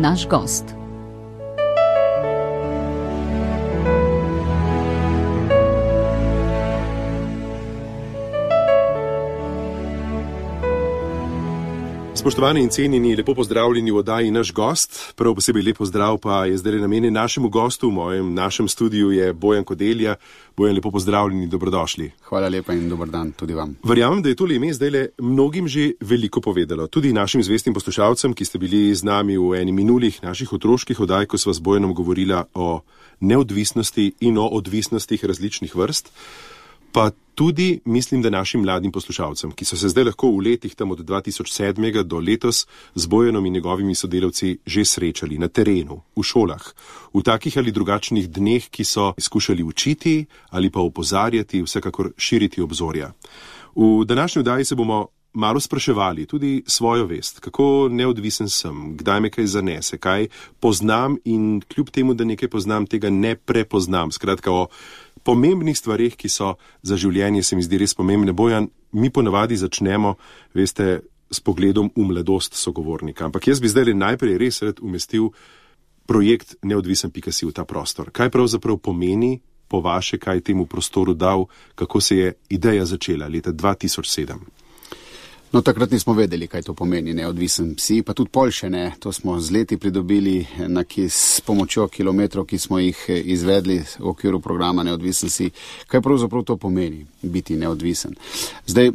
naš gost. Spoštovani in cenjeni, lepo pozdravljeni v oddaji Naš gost. Prav posebej lep pozdrav pa je zdaj namenjen našemu gostu. V našem studiu je Bojan Kodelja. Bojan, lepo pozdravljeni, dobrodošli. Hvala lepa in dober dan tudi vam. Verjamem, da je tole ime zdajle mnogim že veliko povedalo. Tudi našim zvestim poslušalcem, ki ste bili z nami v eni minulih naših otroških oddaj, ko sva s Bojanom govorila o neodvisnosti in o odvisnostih različnih vrst. Pa tudi, mislim, da našim mladim poslušalcem, ki so se zdaj lahko v letih tam od 2007 do letos z Bojanom in njegovimi sodelavci že srečali na terenu, v šolah, v takih ali drugačnih dneh, ki so skušali učiti ali pa opozarjati, vsekakor širiti obzorja. V današnji oddaji se bomo malo spraševali tudi svojo vest, kako neodvisen sem, kdaj me kaj zanese, kaj poznam in kljub temu, da nekaj poznam, tega ne prepoznam. Skratka, o pomembnih stvarih, ki so za življenje, se mi zdi res pomembne. Bojan, mi ponavadi začnemo, veste, s pogledom v mladost sogovornika. Ampak jaz bi zdaj najprej res rad umestil projekt neodvisen.si v ta prostor. Kaj pravzaprav pomeni po vaše, kaj temu prostoru dal, kako se je ideja začela leta 2007? No, takrat nismo vedeli, kaj to pomeni neodvisen psi, pa tudi pol še ne. To smo z leti pridobili s pomočjo kilometrov, ki smo jih izvedli v okviru programa Neodvisen psi. Kaj pravzaprav to pomeni, biti neodvisen? Zdaj,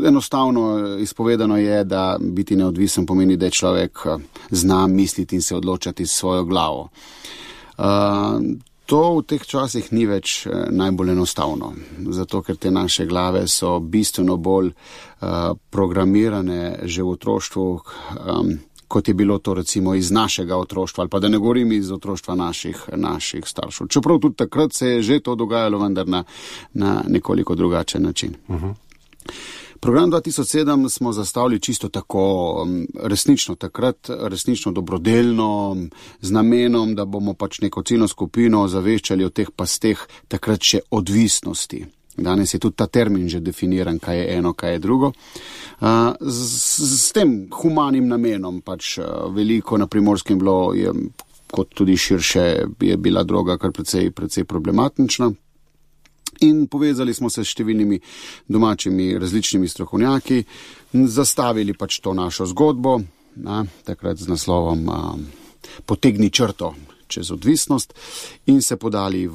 enostavno izpovedano je, da biti neodvisen pomeni, da je človek zna misliti in se odločati s svojo glavo. To v teh časih ni več najbolj enostavno, zato ker te naše glave so bistveno bolj programirane že v otroštvu, kot je bilo to recimo iz našega otroštva, ali pa da ne govorim iz otroštva naših staršev. Čeprav tudi takrat se je že to dogajalo, vendar na nekoliko drugačen način. Program 2007 smo zastavili čisto tako, resnično dobrodelno, z namenom, da bomo pač neko ciljno skupino zaveščali o teh pasteh takrat še odvisnosti. Danes je tudi ta termin že definiran, kaj je eno, kaj je drugo. S tem humanim namenom, pač veliko na Primorskem bilo, kot tudi širše, je bila droga kar precej problematična. In povezali smo se s številnimi domačimi različnimi strokovnjaki, zastavili pač to našo zgodbo, takrat z naslovom Potegni črto čez odvisnost in se podali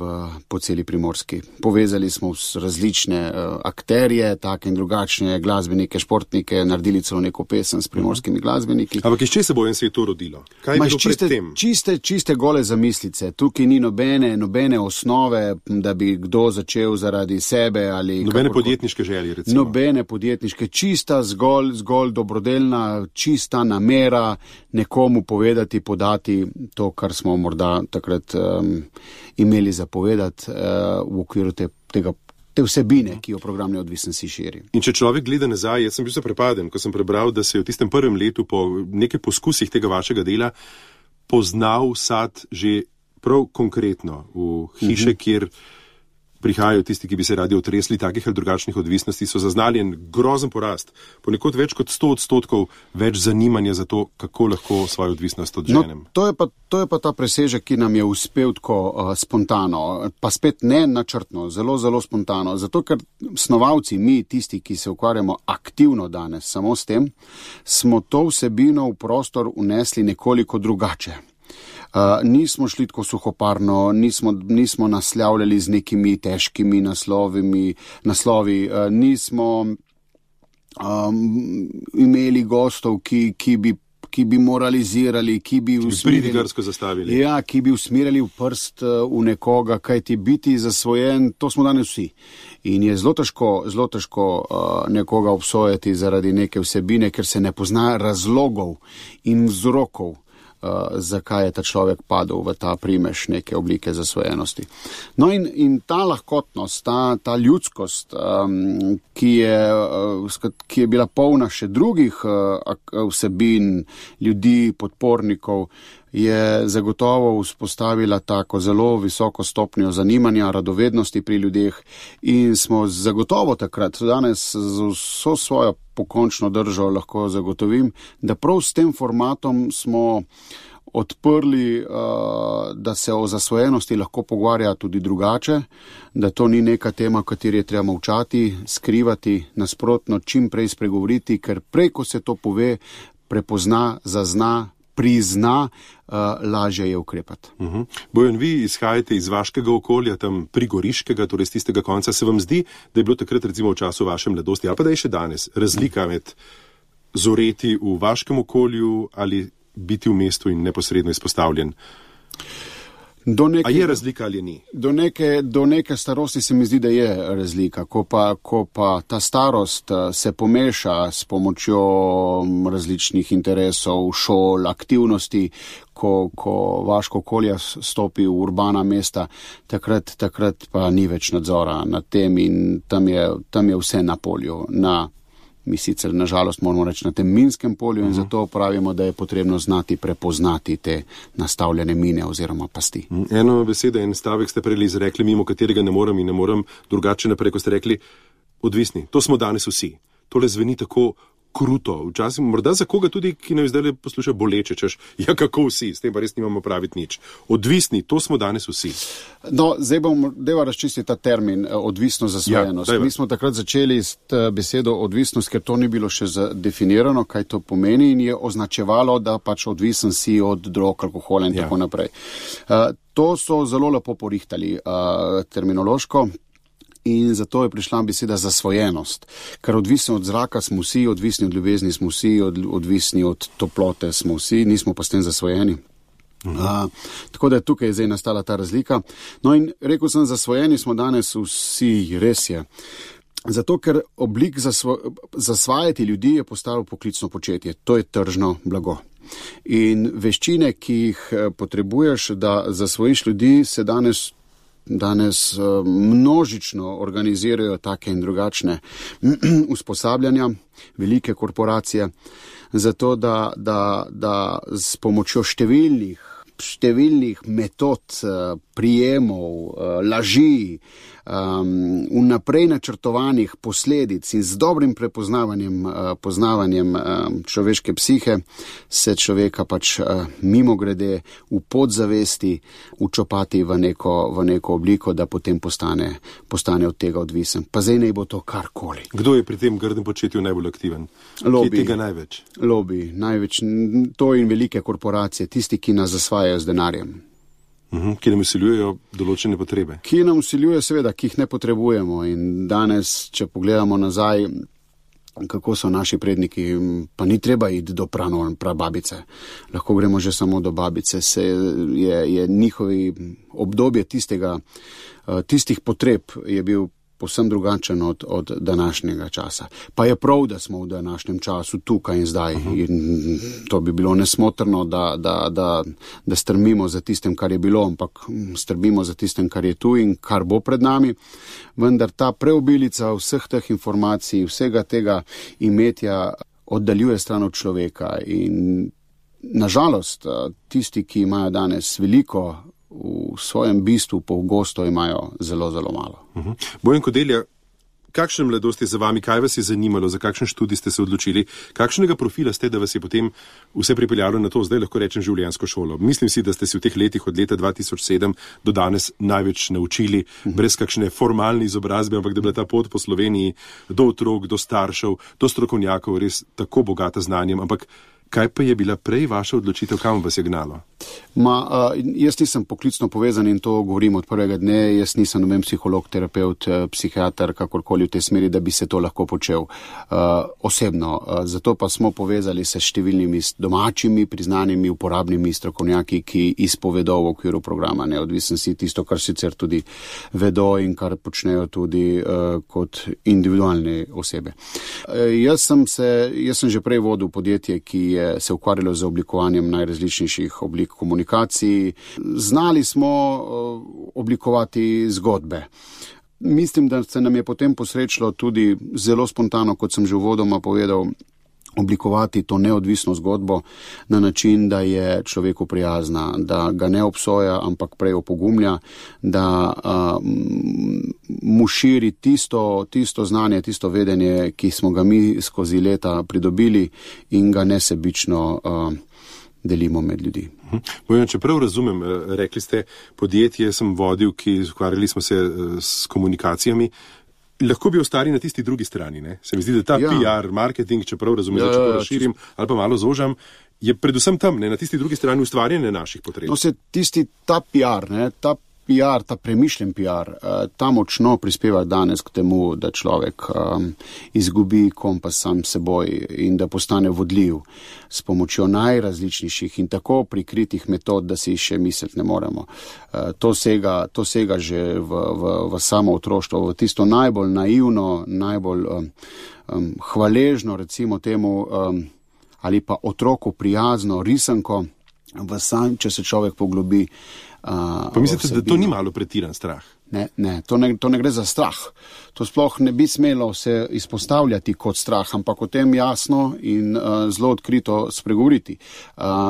po celi Primorski. Povezali smo različne akterje, take in drugačne glasbenike, športnike, naredili celo neko pesem s primorskimi glasbeniki. Ampak iz česa se je to rodilo? Kaj je bilo pred tem? Čiste gole zamislice. Tukaj ni nobene osnove, da bi kdo začel zaradi sebe ali... Nobene podjetniške želje, recimo. Nobene podjetniške, čista, zgolj dobrodelna, čista namera nekomu povedati, podati to, kar smo morda takrat imeli zapovedati v okviru te vsebine, ki jo program Neodvisen psi širi. In če človek gleda nazaj, jaz sem bil se prepaden, ko sem prebral, da se je v tistem prvem letu po nekaj poskusih tega vašega dela poznal sad že prav konkretno v hiše, kjer prihajajo tisti, ki bi se radi otresli takih ali drugačnih odvisnosti, so zaznali en grozen porast, ponekod več kot 100% več zanimanja za to, kako lahko svojo odvisnost odženem. No, to je pa ta presežek, ki nam je uspel tako spontano, pa spet ne načrtno, zelo spontano, zato ker snovalci, mi, tisti, ki se ukvarjamo aktivno danes samo s tem, smo to vsebino v prostor unesli nekoliko drugače. Nismo šli tako suhoparno, nismo naslavljali z nekimi težkimi naslovi, nismo imeli gostov, ki bi moralizirali, ki bi zastavili. Ja, ki bi usmerjali v prst v nekoga, kaj ti biti zasvojen, to smo danes vsi. In je zelo težko nekoga obsojati zaradi neke vsebine, ker se ne pozna razlogov in vzrokov, zakaj je ta človek padel v ta primež neke oblike zasvojenosti. No in ta lahkotnost, ta ljudskost, ki je bila polna še drugih vsebin, ljudi, podpornikov, je zagotovo vzpostavila tako zelo visoko stopnjo zanimanja, radovednosti pri ljudeh in smo zagotovo takrat, danes z vso svojo pokončno držo lahko zagotovim, da prav s tem formatom smo odprli, da se o zasvojenosti lahko pogovarja tudi drugače, da to ni neka tema, kateri je treba molčati, skrivati, nasprotno čim prej spregovoriti, ker prej, ko se to pove, prepozna, zazna, prizna, lažje je ukrepati. Bojan, vi izhajate iz vaškega okolja, tam prigoriškega, torej z tistega konca. Se vam zdi, da je bilo takrat recimo v času vaše mladosti, ali pa da je še danes, razlika med zoreti v vaškem okolju ali biti v mestu in neposredno izpostavljen? A je razlika ali ni? Do neke starosti se mi zdi, da je razlika. Ko pa ta starost se pomeša s pomočjo različnih interesov, šol, aktivnosti, ko vaško okolje stopi v urbana mesta, takrat pa ni več nadzora nad tem in tam je vse na polju, mi sicer nažalost moramo reči na tem minskem polju in zato pravimo, da je potrebno znati prepoznati te nastavljene mine oziroma pasti. Eno besedo, en stavek ste prej izrekli, mimo katerega ne morem drugače naprej, ko ste rekli odvisni. To smo danes vsi. Tole zveni tako kruto, včasih morda za koga tudi, ki ne zdaj posluša boleče, češ, ja kako vsi, s tem pa res nimamo praviti nič. Odvisni, to smo danes vsi. No, zdaj deva razčistiti ta termin, odvisnost, zasvojenost. Mi smo takrat začeli s besedo odvisnost, ker to ni bilo še definirano, kaj to pomeni in je označevalo, da pač odvisen si od drog, alkohola in tako naprej. To so zelo lepo porihtali terminološko. In zato je prišla beseda zasvojenost, ker odvisni od zraka smo vsi, odvisni od ljubezni smo vsi, odvisni od toplote smo vsi, nismo pa s tem zasvojeni. Tako da je tukaj zdaj nastala ta razlika. No in rekel sem, zasvojeni smo danes vsi, res je. Zato, ker oblik zasvajati ljudi je postalo poklicno početje. To je tržno blago. In veščine, ki jih potrebuješ, da zasvojiš ljudi, se danes množično organizirajo take in drugačne usposabljanja, velike korporacije, zato da s pomočjo številnih metod, prijemov, laži, vnaprej načrtovanih posledic in z dobrim poznavanjem človeške psihe se človeka pač mimogrede v podzavesti učopati v neko obliko, da potem postane od tega odvisen. Pa zdaj naj bo to karkoli. Kdo je pri tem grdem početju najbolj aktiven? Kje tega največ? Lobby, največ. To in velike korporacije, tisti, ki nas zasvajajo z denarjem. Ki nam vsiljujejo določene potrebe. Ki nam vsiljujejo, seveda, ki jih ne potrebujemo. In danes, če pogledamo nazaj, kako so naši predniki, pa ni treba iti do prababice. Lahko gremo že samo do babice. Je njihovi obdobje tistih potreb je bil povsem drugačen od današnjega časa. Pa je prav, da smo v današnjem času tukaj in zdaj. In to bi bilo nesmotrno, da strmimo za tistem, kar je bilo, ampak strmimo za tistem, kar je tu in kar bo pred nami. Vendar ta preobilica vseh teh informacij, vsega tega imetja oddaljuje stran od človeka. In nažalost, tisti, ki imajo danes veliko, v svojem bistvu pogosto imajo zelo, zelo malo. Bojan Kodelja, kakšne mladosti za vami, kaj vas je zanimalo, za kakšen študij ste se odločili, kakšnega profila ste, da vas je potem vse pripeljalo na to, zdaj lahko rečem, življenjsko šolo? Mislim si, da ste si v teh letih od leta 2007 do danes največ naučili, brez kakšne formalne izobrazbe, ampak da je bila ta pot po Sloveniji do otrok, do staršev, do strokovnjakov res tako bogata znanjem, ampak kaj pa je bila prej vaša odločitev, kam vas je gnalo? Jaz nisem poklicno povezan in to govorim od prvega dne, jaz nisem noben psiholog, terapeut, psihiater, kakorkoli v tej smeri, da bi se to lahko počel osebno. Zato pa smo povezali se s številnimi domačimi, priznanimi, uporabnimi strokovnjaki, ki izpovedo v okviru programa Neodvisnosti tisto, kar sicer tudi vedo in kar počnejo tudi kot individualne osebe. Jaz sem že prej vodil podjetje, ki je se ukvarjalo z oblikovanjem najrazličnejših oblik komunikacij. Znali smo oblikovati zgodbe. Mislim, da se nam je potem posrečilo tudi zelo spontano, kot sem že uvodoma povedal, oblikovati to neodvisno zgodbo na način, da je človeku prijazna, da ga ne obsoja, ampak prej opogumlja, da mu širi tisto znanje, tisto vedenje, ki smo ga mi skozi leta pridobili in ga nesebično delimo med ljudi. Bojan, če prav razumem, rekli ste, podjetje sem vodil, ki ukvarjali smo se s komunikacijami. Lahko bi ostali na tisti drugi strani, ne? Se mi zdi, da ta PR, marketing, če prav razumem, če to razširim ali pa malo zožam, je predvsem tam, ne, na tisti drugi strani ustvarjanje naših potreb. No, ta PR, ne, ta premišljen PR, ta močno prispeva danes k temu, da človek izgubi kompas sam seboj in da postane vodljiv s pomočjo najrazličnejših in tako prikritih metod, da si še misliti ne moremo. To sega že v samo otroštvo, v tisto najbolj naivno, najbolj hvaležno, recimo temu, ali pa otroku prijazno risanko, če se človek poglobi. Pa mislite, da to ni malo pretiran strah? Ne, to ne gre za strah. To sploh ne bi smelo se izpostavljati kot strah, ampak o tem jasno in zelo odkrito spregovoriti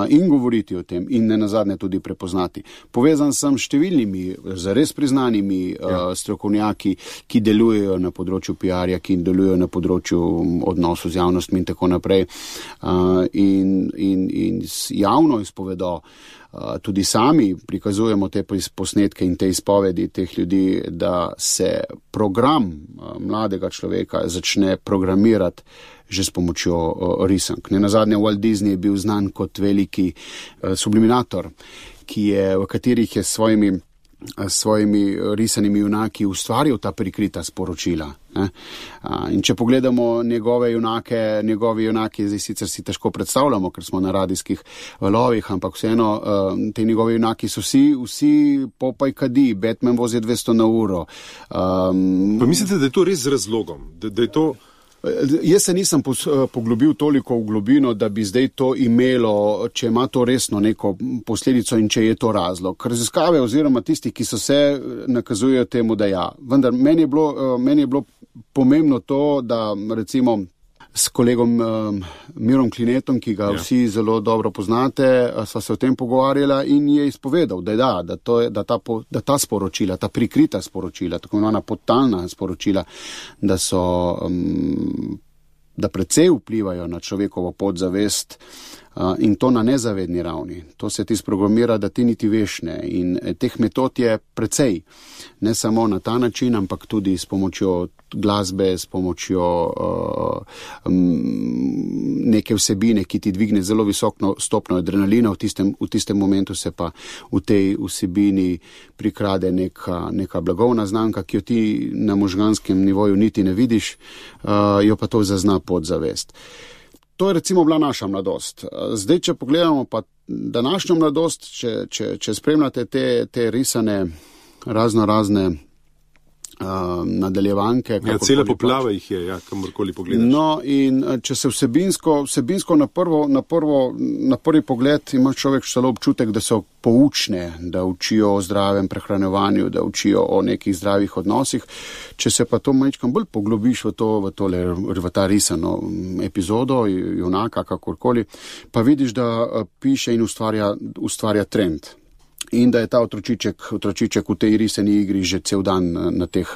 in govoriti o tem in nenazadnje tudi prepoznati. Povezan sem s številnimi, zares priznanimi strokovnjaki, ki delujejo na področju PR-ja, ki delujejo na področju odnosov z javnostmi in tako naprej in javno izpovedo. Tudi sami prikazujemo te posnetke in te izpovedi teh ljudi, da se program mladega človeka začne programirati že s pomočjo risank. Nenazadnje Walt Disney je bil znan kot veliki subliminator, v katerih je svojimi risanimi junaki ustvaril ta prikrita sporočila. In če pogledamo njegove junake, zdaj sicer si težko predstavljamo, ker smo na radijskih valovih, ampak vseeno, te njegove junaki so vsi Popaj kadi, Batman vozi 200 na uro. Pa mislite, da je to res z razlogom? Da je to... Jaz se nisem poglobil toliko v globino, da bi zdaj to imelo, če ima to resno neko posledico in če je to razlog. Raziskave oziroma tisti, ki so se nakazujejo temu, da ja. Vendar meni je bilo pomembno to, da recimo s kolegom Mirom Klinetom, ki ga vsi zelo dobro poznate, sva se o tem pogovarjala in je izpovedal, da ta sporočila, ta prikrita sporočila, tako imenovana podtalna sporočila, da precej vplivajo na človekovo podzavest in to na nezavedni ravni. To se ti sprogramira, da ti niti veš ne. In teh metod je precej. Ne samo na ta način, ampak tudi s pomočjo glasbe, s pomočjo neke vsebine, ki ti dvigne zelo visoko stopnjo adrenalina, v tistem momentu se pa v tej vsebini prikrade neka blagovna znamka, ki jo ti na možganskem nivoju niti ne vidiš, jo pa to zazna podzavest. To je recimo bila naša mladost. Zdaj, če pogledamo pa današnjo mladost, če spremljate te risane razne nadaljevanke. Cele poplave jih je, kamorkoli pogledaš. No, in če se vsebinsko na prvi pogled ima človek celo občutek, da so poučne, da učijo o zdravem prehranjevanju, da učijo o nekih zdravih odnosih. Če se pa to majčkam bolj poglobiš v ta risano epizodo, junaka, kakorkoli, pa vidiš, da piše in ustvarja trend. In da je ta otročiček v tej risani igri že cel dan na teh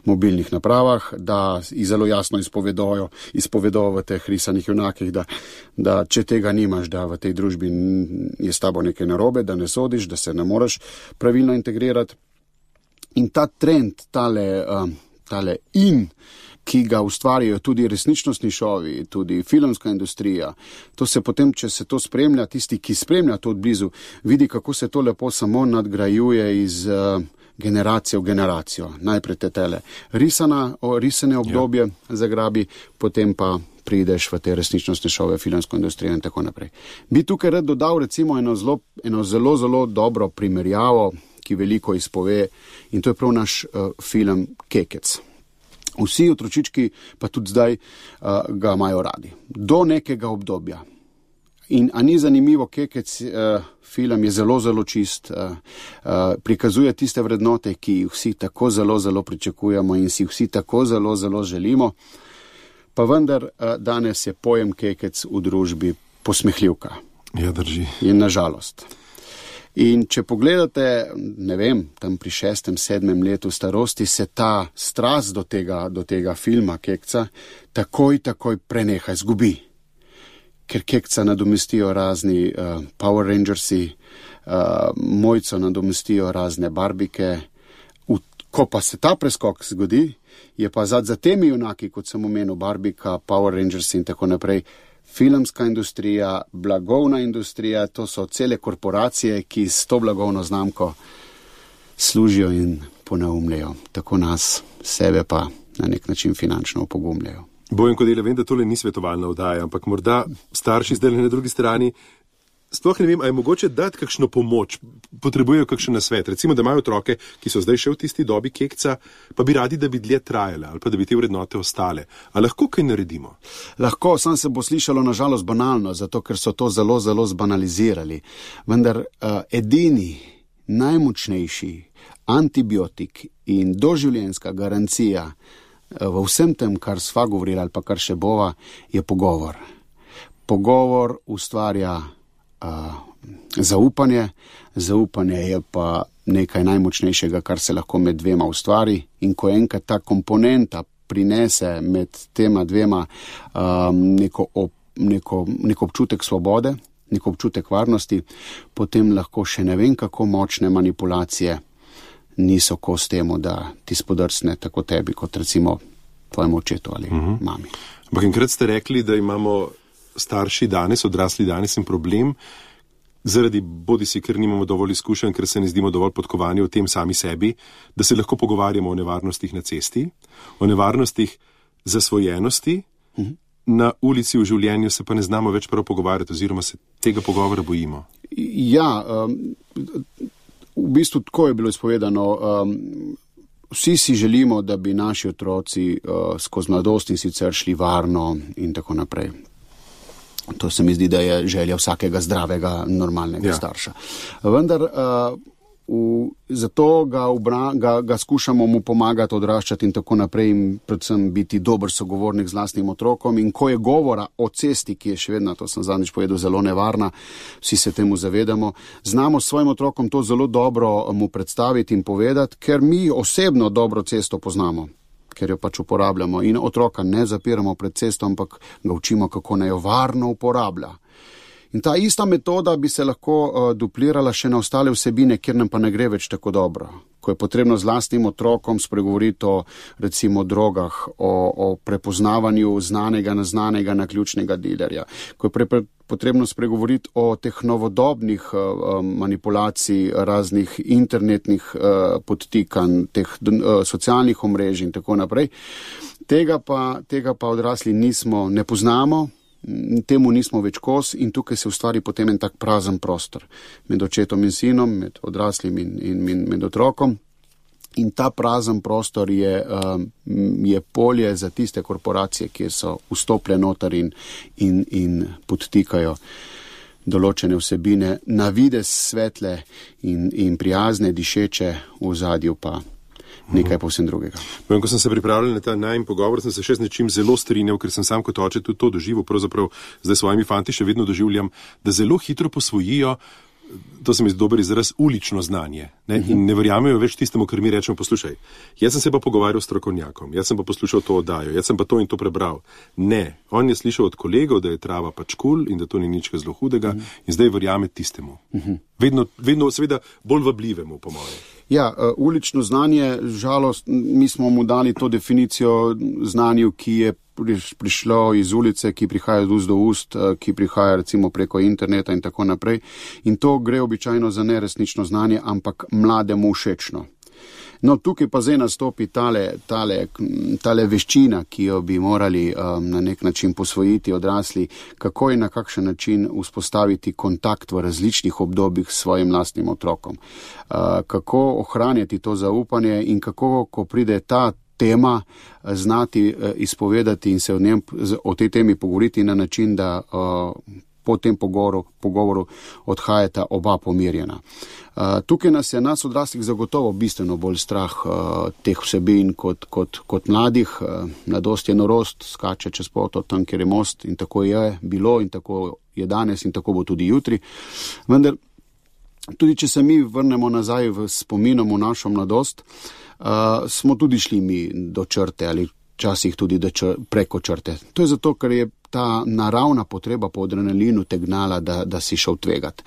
mobilnih napravah, da zelo jasno izpovedo v teh risanih junakih, da če tega nimaš, da v tej družbi je s tabo nekaj narobe, da ne sodiš, da se ne moreš pravilno integrirati. In ta trend, tale ki ga ustvarjajo tudi resničnostni šovi, tudi filmska industrija. To se potem, če se to spremlja, tisti, ki spremlja to odblizu, vidi, kako se to lepo samo nadgrajuje iz generacije v generacijo. Najprej te risane obdobje zagrabi, potem pa prideš v te resničnostne šove, filmsko industrijo in tako naprej. Bi tukaj rad dodal recimo eno zelo, zelo dobro primerjavo, ki veliko izpove, in to je prav naš film Kekec. Vsi otročički, pa tudi zdaj, ga imajo radi. Do nekega obdobja. In a ni zanimivo, Kekec film je zelo, zelo čist, prikazuje tiste vrednote, ki jih vsi tako zelo, zelo pričakujemo in si vsi tako zelo, zelo želimo. Pa vendar danes je pojem kekec v družbi posmehljivka. Ja, drži. In nažalost. In če pogledate, ne vem, tam pri 6., 7. letu starosti se ta strast do tega filma kekca takoj preneha, izgubi. Ker kekca nadomestijo razni Power Rangersi, Mojco nadomestijo razne barbike. Ko pa se ta preskok zgodi, je pa za temi junaki, kot sem omenil, barbika, Power Rangersi in tako naprej, filmska industrija, blagovna industrija, to so cele korporacije, ki s to blagovno znamko služijo in ponaumljajo. Tako nas, sebe pa na nek način finančno opogumljajo. Bojan Kodela, vem, da tole ni svetovalna oddaja, ampak morda starši zdaj na drugi strani, sploh ne vem, a je mogoče dati kakšno pomoč, potrebujejo kakšen nasvet. Recimo, da imajo otroke, ki so zdaj še v tisti dobi kekca, pa bi radi, da bi dlje trajale ali pa da bi te vrednote ostale. A lahko kaj naredimo? Lahko, sam se bo slišalo nažalost banalno, zato ker so to zelo zbanalizirali. Vendar edini, najmočnejši antibiotik in doživljenjska garancija v vsem tem, kar sva govorili ali pa kar še bova, je pogovor. Pogovor ustvarja zaupanje. Zaupanje je pa nekaj najmočnejšega, kar se lahko med dvema ustvari, in ko enkrat ta komponenta prinese med tema dvema neko občutek svobode, neko občutek varnosti, potem lahko še ne vem kako močne manipulacije niso kos temu, da ti spodrsne tako tebi, kot recimo tvojemu očetu ali mami. Ampak enkrat ste rekli, da imamo starši danes, odrasli danes in problem, zaradi bodisi, ker nimamo dovolj izkušenj, ker se ne zdimo dovolj podkovani o tem sami sebi, da se lahko pogovarjamo o nevarnostih na cesti, o nevarnostih zasvojenosti, na ulici v življenju se pa ne znamo več prav pogovarjati, oziroma se tega pogovora bojimo. Ja, v bistvu tako je bilo izpovedano. Vsi si želimo, da bi naši otroci skozi mladost in sicer šli varno in tako naprej. To se mi zdi, da je želja vsakega zdravega, normalnega starša. Vendar zato ga skušamo mu pomagati odraščati in tako naprej in predvsem biti dober sogovornik z lastnim otrokom. In ko je govora o cesti, ki je še vedno, to sem zadnjič povedal, zelo nevarna, vsi se temu zavedamo, znamo s svojim otrokom to zelo dobro mu predstaviti in povedati, ker mi osebno dobro cesto poznamo, ker jo pač uporabljamo in otroka ne zapiramo pred cesto, ampak ga učimo, kako naj jo varno uporablja. In ta ista metoda bi se lahko duplirala še na ostale vsebine, kjer nam pa ne gre več tako dobro. Ko je potrebno z lastnim otrokom spregovoriti o recimo drogah, o prepoznavanju znanega na ključnega dilerja, ko je potrebno spregovoriti o teh novodobnih manipulacij, raznih internetnih podtikanj, teh socialnih omrežij in tako naprej. Tega pa odrasli ne poznamo, temu nismo več kos in tukaj se ustvari potem en tak prazen prostor med očetom in sinom, med odraslim in med otrokom. In ta prazen prostor je polje za tiste korporacije, ki so vstopile noter in podtikajo določene vsebine, na videz svetle in prijazne, dišeče, v ozadju pa nekaj povsem drugega. Ko sem se pripravljal na ta najin pogovor, sem se še z nečim zelo strinjal, ker sem sam kot oče tudi to doživel, pravzaprav zdaj svojimi fanti še vedno doživljam, da zelo hitro posvojijo, to se mi zdi dober izraz, ulično znanje. In ne verjamejo več tistemu, kar mi rečemo, poslušaj, jaz sem se pa pogovarjal s strokovnjakom, jaz sem pa poslušal to oddajo, jaz sem pa to in to prebral. Ne, on je slišal od kolegov, da je trava pač kul in da to ni nič zelo hudega in zdaj verjame tistemu. Vedno seveda bolj vabljivemu, po moje. Ja, ulično znanje, žalost, mi smo mu dali to definicijo znanju, ki je prišlo iz ulice, ki prihaja od ust do ust, ki prihaja recimo preko interneta in tako naprej. In to gre običajno za neresnično znanje, ampak mlademu všečno. No, tukaj pa zdaj nastopi tale veščina, ki jo bi morali na nek način posvojiti odrasli, kako in na kakšen način vzpostaviti kontakt v različnih obdobjih s svojim lastnim otrokom. Kako ohranjati to zaupanje in kako, ko pride ta tema, znati izpovedati in se o tej temi pogovoriti na način, da po tem pogovoru odhajata oba pomirjena. Tukaj nas odraslih zagotovo bistveno bolj strah teh vsebin kot mladih. Mladost je norost, skače čez poto tam, kjer je most, in tako je bilo in tako je danes in tako bo tudi jutri. Vendar tudi če se mi vrnemo nazaj v spominom v našo mladost, smo tudi šli mi do črte ali včasih tudi preko črte. To je zato, ker je ta naravna potreba po adrenalinu te gnala, da si šel tvegat.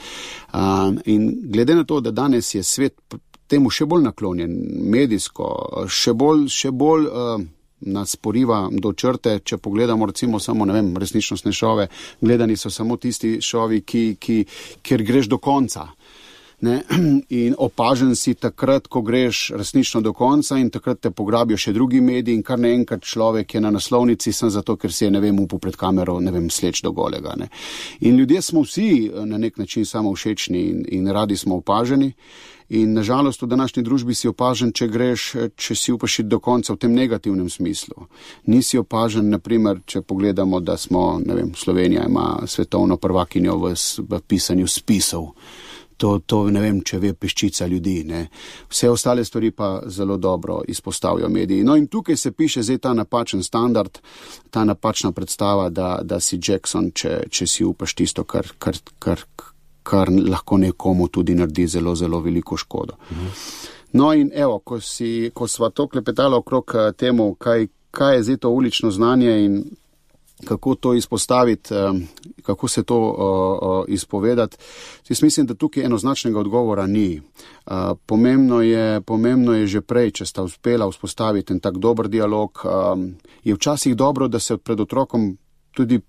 In glede na to, da danes je svet temu še bolj naklonjen, medijsko, še bolj nas poriva do črte, če pogledamo recimo samo, resničnostne šove, gledani so samo tisti šovi, kjer greš do konca. Ne? In opažen si takrat, ko greš resnično do konca in takrat te pograbijo še drugi mediji in kar naenkrat človek je na naslovnici sem zato, ker si je, upal pred kamero, sleč do golega. Ne? In ljudje smo vsi na nek način samo všečni in radi smo opaženi. In nažalost v današnji družbi si opažen, če si upaš iti do konca v tem negativnem smislu. Nisi opažen, naprimer, če pogledamo, da smo, Slovenija ima svetovno prvakinjo v pisanju spisov. To če ve peščica ljudi. Ne. Vse ostale stvari pa zelo dobro izpostavijo mediji. No in tukaj se piše zdaj ta napačen standard, ta napačna predstava, da si Jackson, če si upaš tisto, kar lahko nekomu tudi naredi zelo, zelo veliko škodo. No in evo, ko sva to klepetala okrog temu, kaj je zdaj to ulično znanje in kako to izpostaviti, kako se to izpovedati. Jaz mislim, da tukaj enoznačnega odgovora ni. Pomembno je že prej, če sta uspela vzpostaviti en tak dober dialog. Je včasih dobro, da se pred otrokom tudi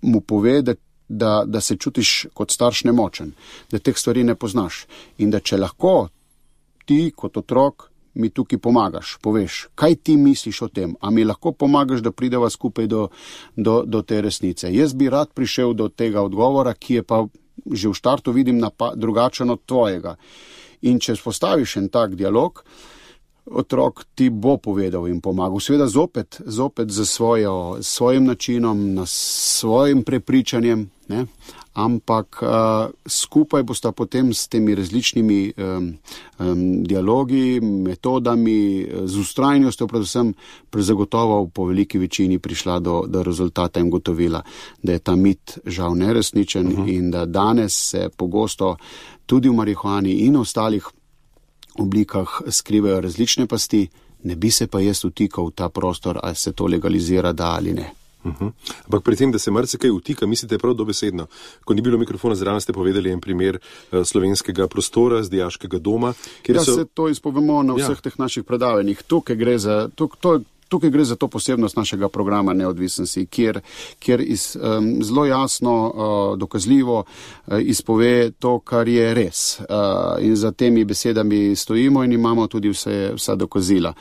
mu pove, da se čutiš kot starš nemočen, da teh stvari ne poznaš in da če lahko ti kot otrok mi tukaj pomagaš, poveš, kaj ti misliš o tem, a mi lahko pomagaš, da prideva skupaj do te resnice. Jaz bi rad prišel do tega odgovora, ki je pa že v štartu vidim drugačen od tvojega. In če vzpostaviš en tak dialog, otrok ti bo povedal in pomagal. Seveda zopet za svojim načinom, svojim prepričanjem, ne? Ampak skupaj bosta potem s temi različnimi dialogi, metodami, z ustrajnostjo predvsem zagotovo po veliki večini prišla do rezultata in gotovila, da je ta mit žal neresničen in da danes se pogosto tudi v marihuani in ostalih oblikah skrivajo različne pasti, ne bi se pa jaz vtikal v ta prostor, ali se to legalizira, da ali ne. Ampak pri tem, da se marsikaj vtika, mislite prav dobesedno. Ko ni bilo mikrofona zraven, ste povedali en primer slovenskega prostora z dijaškega doma. Se to izpovemo na vseh teh naših predavanjih. Tukaj gre za to posebnost našega programa Neodvisnosti, kjer zelo jasno, dokazljivo izpove to, kar je res. In za temi besedami stojimo in imamo tudi vsa dokazila.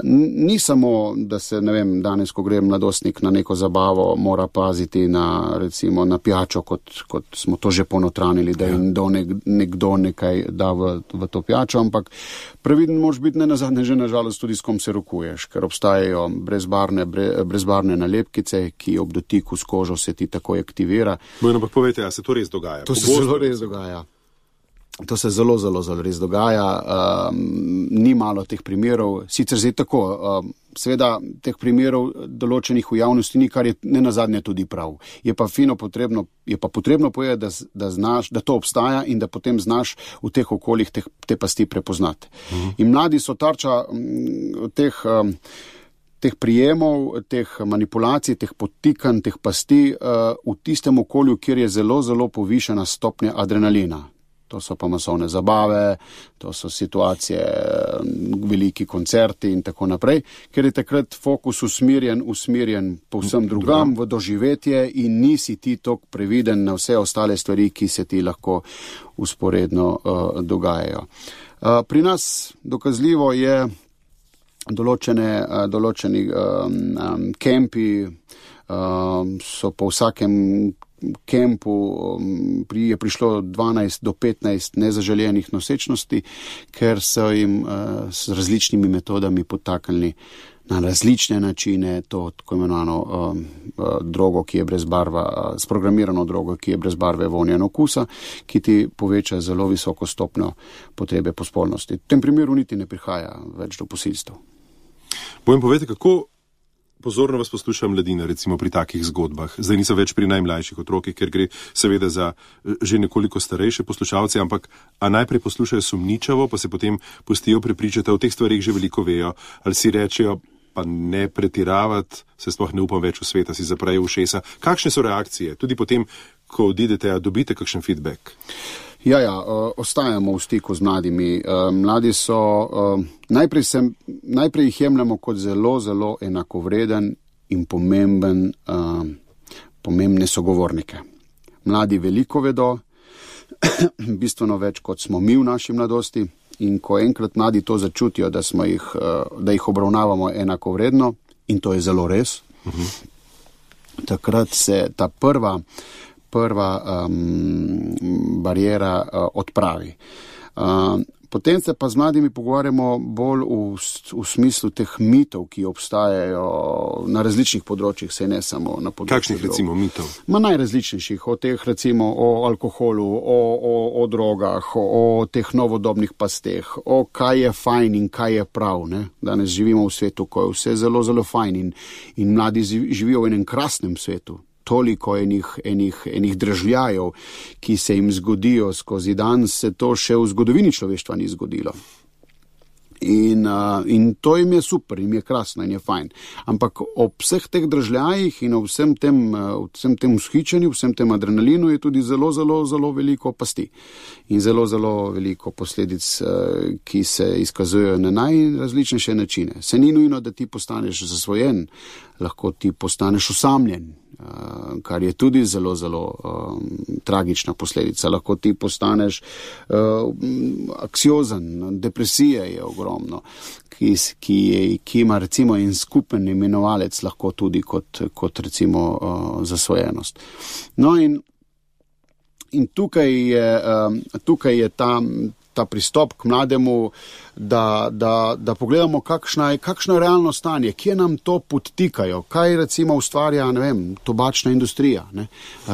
Ni samo, da se, danes, ko gre mladostnik na neko zabavo, mora paziti recimo na pijačo, kot smo to že ponotranili, da jim nekdo nekaj da v to pijačo, ampak previden moraš biti ne nazadnje že nažalost tudi s kom se rokuješ, ker obstajajo brezbarvne nalepkice, ki ob dotiku s kožo se ti takoj aktivira. Ampak povejte, a se to res dogaja? To se zelo res dogaja. To se zelo, zelo, zelo res dogaja. Ni malo teh primerov. Sicer zdaj tako, seveda teh primerov določenih v javnosti ni, kar je nenazadnje tudi prav. Je pa potrebno povedati, da znaš, da to obstaja in da potem znaš v teh okoljih te pasti prepoznati. In mladi so tarča teh prijemov, teh manipulacij, teh podtikanj, teh pasti v tistem okolju, kjer je zelo, zelo povišena stopnja adrenalina. To so pa masovne zabave, to so situacije, veliki koncerti in tako naprej, ker je takrat fokus usmerjen povsem drugam v doživetje in nisi ti toliko previden na vse ostale stvari, ki se ti lahko usporedno dogajajo. Pri nas dokazljivo je določeni kempi so po vsakem kempu je prišlo 12 do 15 nezaželenih nosečnosti, ker so jim s različnimi metodami podtaknili na različne načine to tako imenovano drogo, ki je brez barva, sprogramirano drogo, ki je brez barve, vonja in okusa, ki ti poveča zelo visoko stopnjo potrebe po spolnosti. V tem primeru niti ne prihaja več do posilstev. Bojem povedati, kako pozorno vas posluša mladina, recimo pri takih zgodbah. Zdaj niso več pri najmlajših otrokih, ker gre seveda za že nekoliko starejše poslušalce, ampak najprej poslušajo sumničavo, pa se potem pustijo prepričati, o teh stvarih že veliko vejo, ali si rečejo, pa ne pretiravati, se sploh ne upam več v sveta, si zaprejo ušesa. Kakšne so reakcije? Tudi potem, ko odidete, dobite kakšen feedback? Ja, ostajamo v stiku z mladimi. Mladi so, najprej jih jemljamo kot zelo, zelo enakovreden in pomembne sogovornike. Mladi veliko vedo, bistveno več, kot smo mi v naši mladosti, in ko enkrat mladi to začutijo, da jih obravnavamo enakovredno, in to je zelo res, takrat se ta prva bariera odpravi. Potem se pa z mladimi pogovarjamo bolj v smislu teh mitov, ki obstajajo na različnih področjih, se ne samo na področju. Kakšnih recimo mitov? Najrazličnejših, o teh recimo o alkoholu, o drogah, o teh novodobnih pasteh, o kaj je fajn in kaj je prav. Ne? Danes živimo v svetu, ko je vse zelo, zelo fajn in mladi živijo v enem krasnem svetu. Toliko enih dražljajev, ki se jim zgodijo skozi dan, se to še v zgodovini človeštva ni zgodilo. In to jim je super, jim je krasno in je fajn. Ampak ob vseh teh dražljajih in ob vsem tem vzhičenju, vsem tem adrenalinu je tudi zelo, zelo, zelo veliko pasti. In zelo, zelo veliko posledic, ki se izkazujejo na najrazličnejše načine. Se ni nujno, da ti postaneš zasvojen, lahko ti postaneš osamljen, kar je tudi zelo, zelo tragična posledica. Lahko ti postaneš anksiozen, depresija je ogromno, ki ima recimo en skupen imenovalec lahko tudi kot recimo zasvojenost. No in tukaj je ta pristop k mlademu, da pogledamo, kakšno je realno stanje, kje nam to podtikajo, kaj recimo ustvarja, ne vem, tobačna industrija. Ne?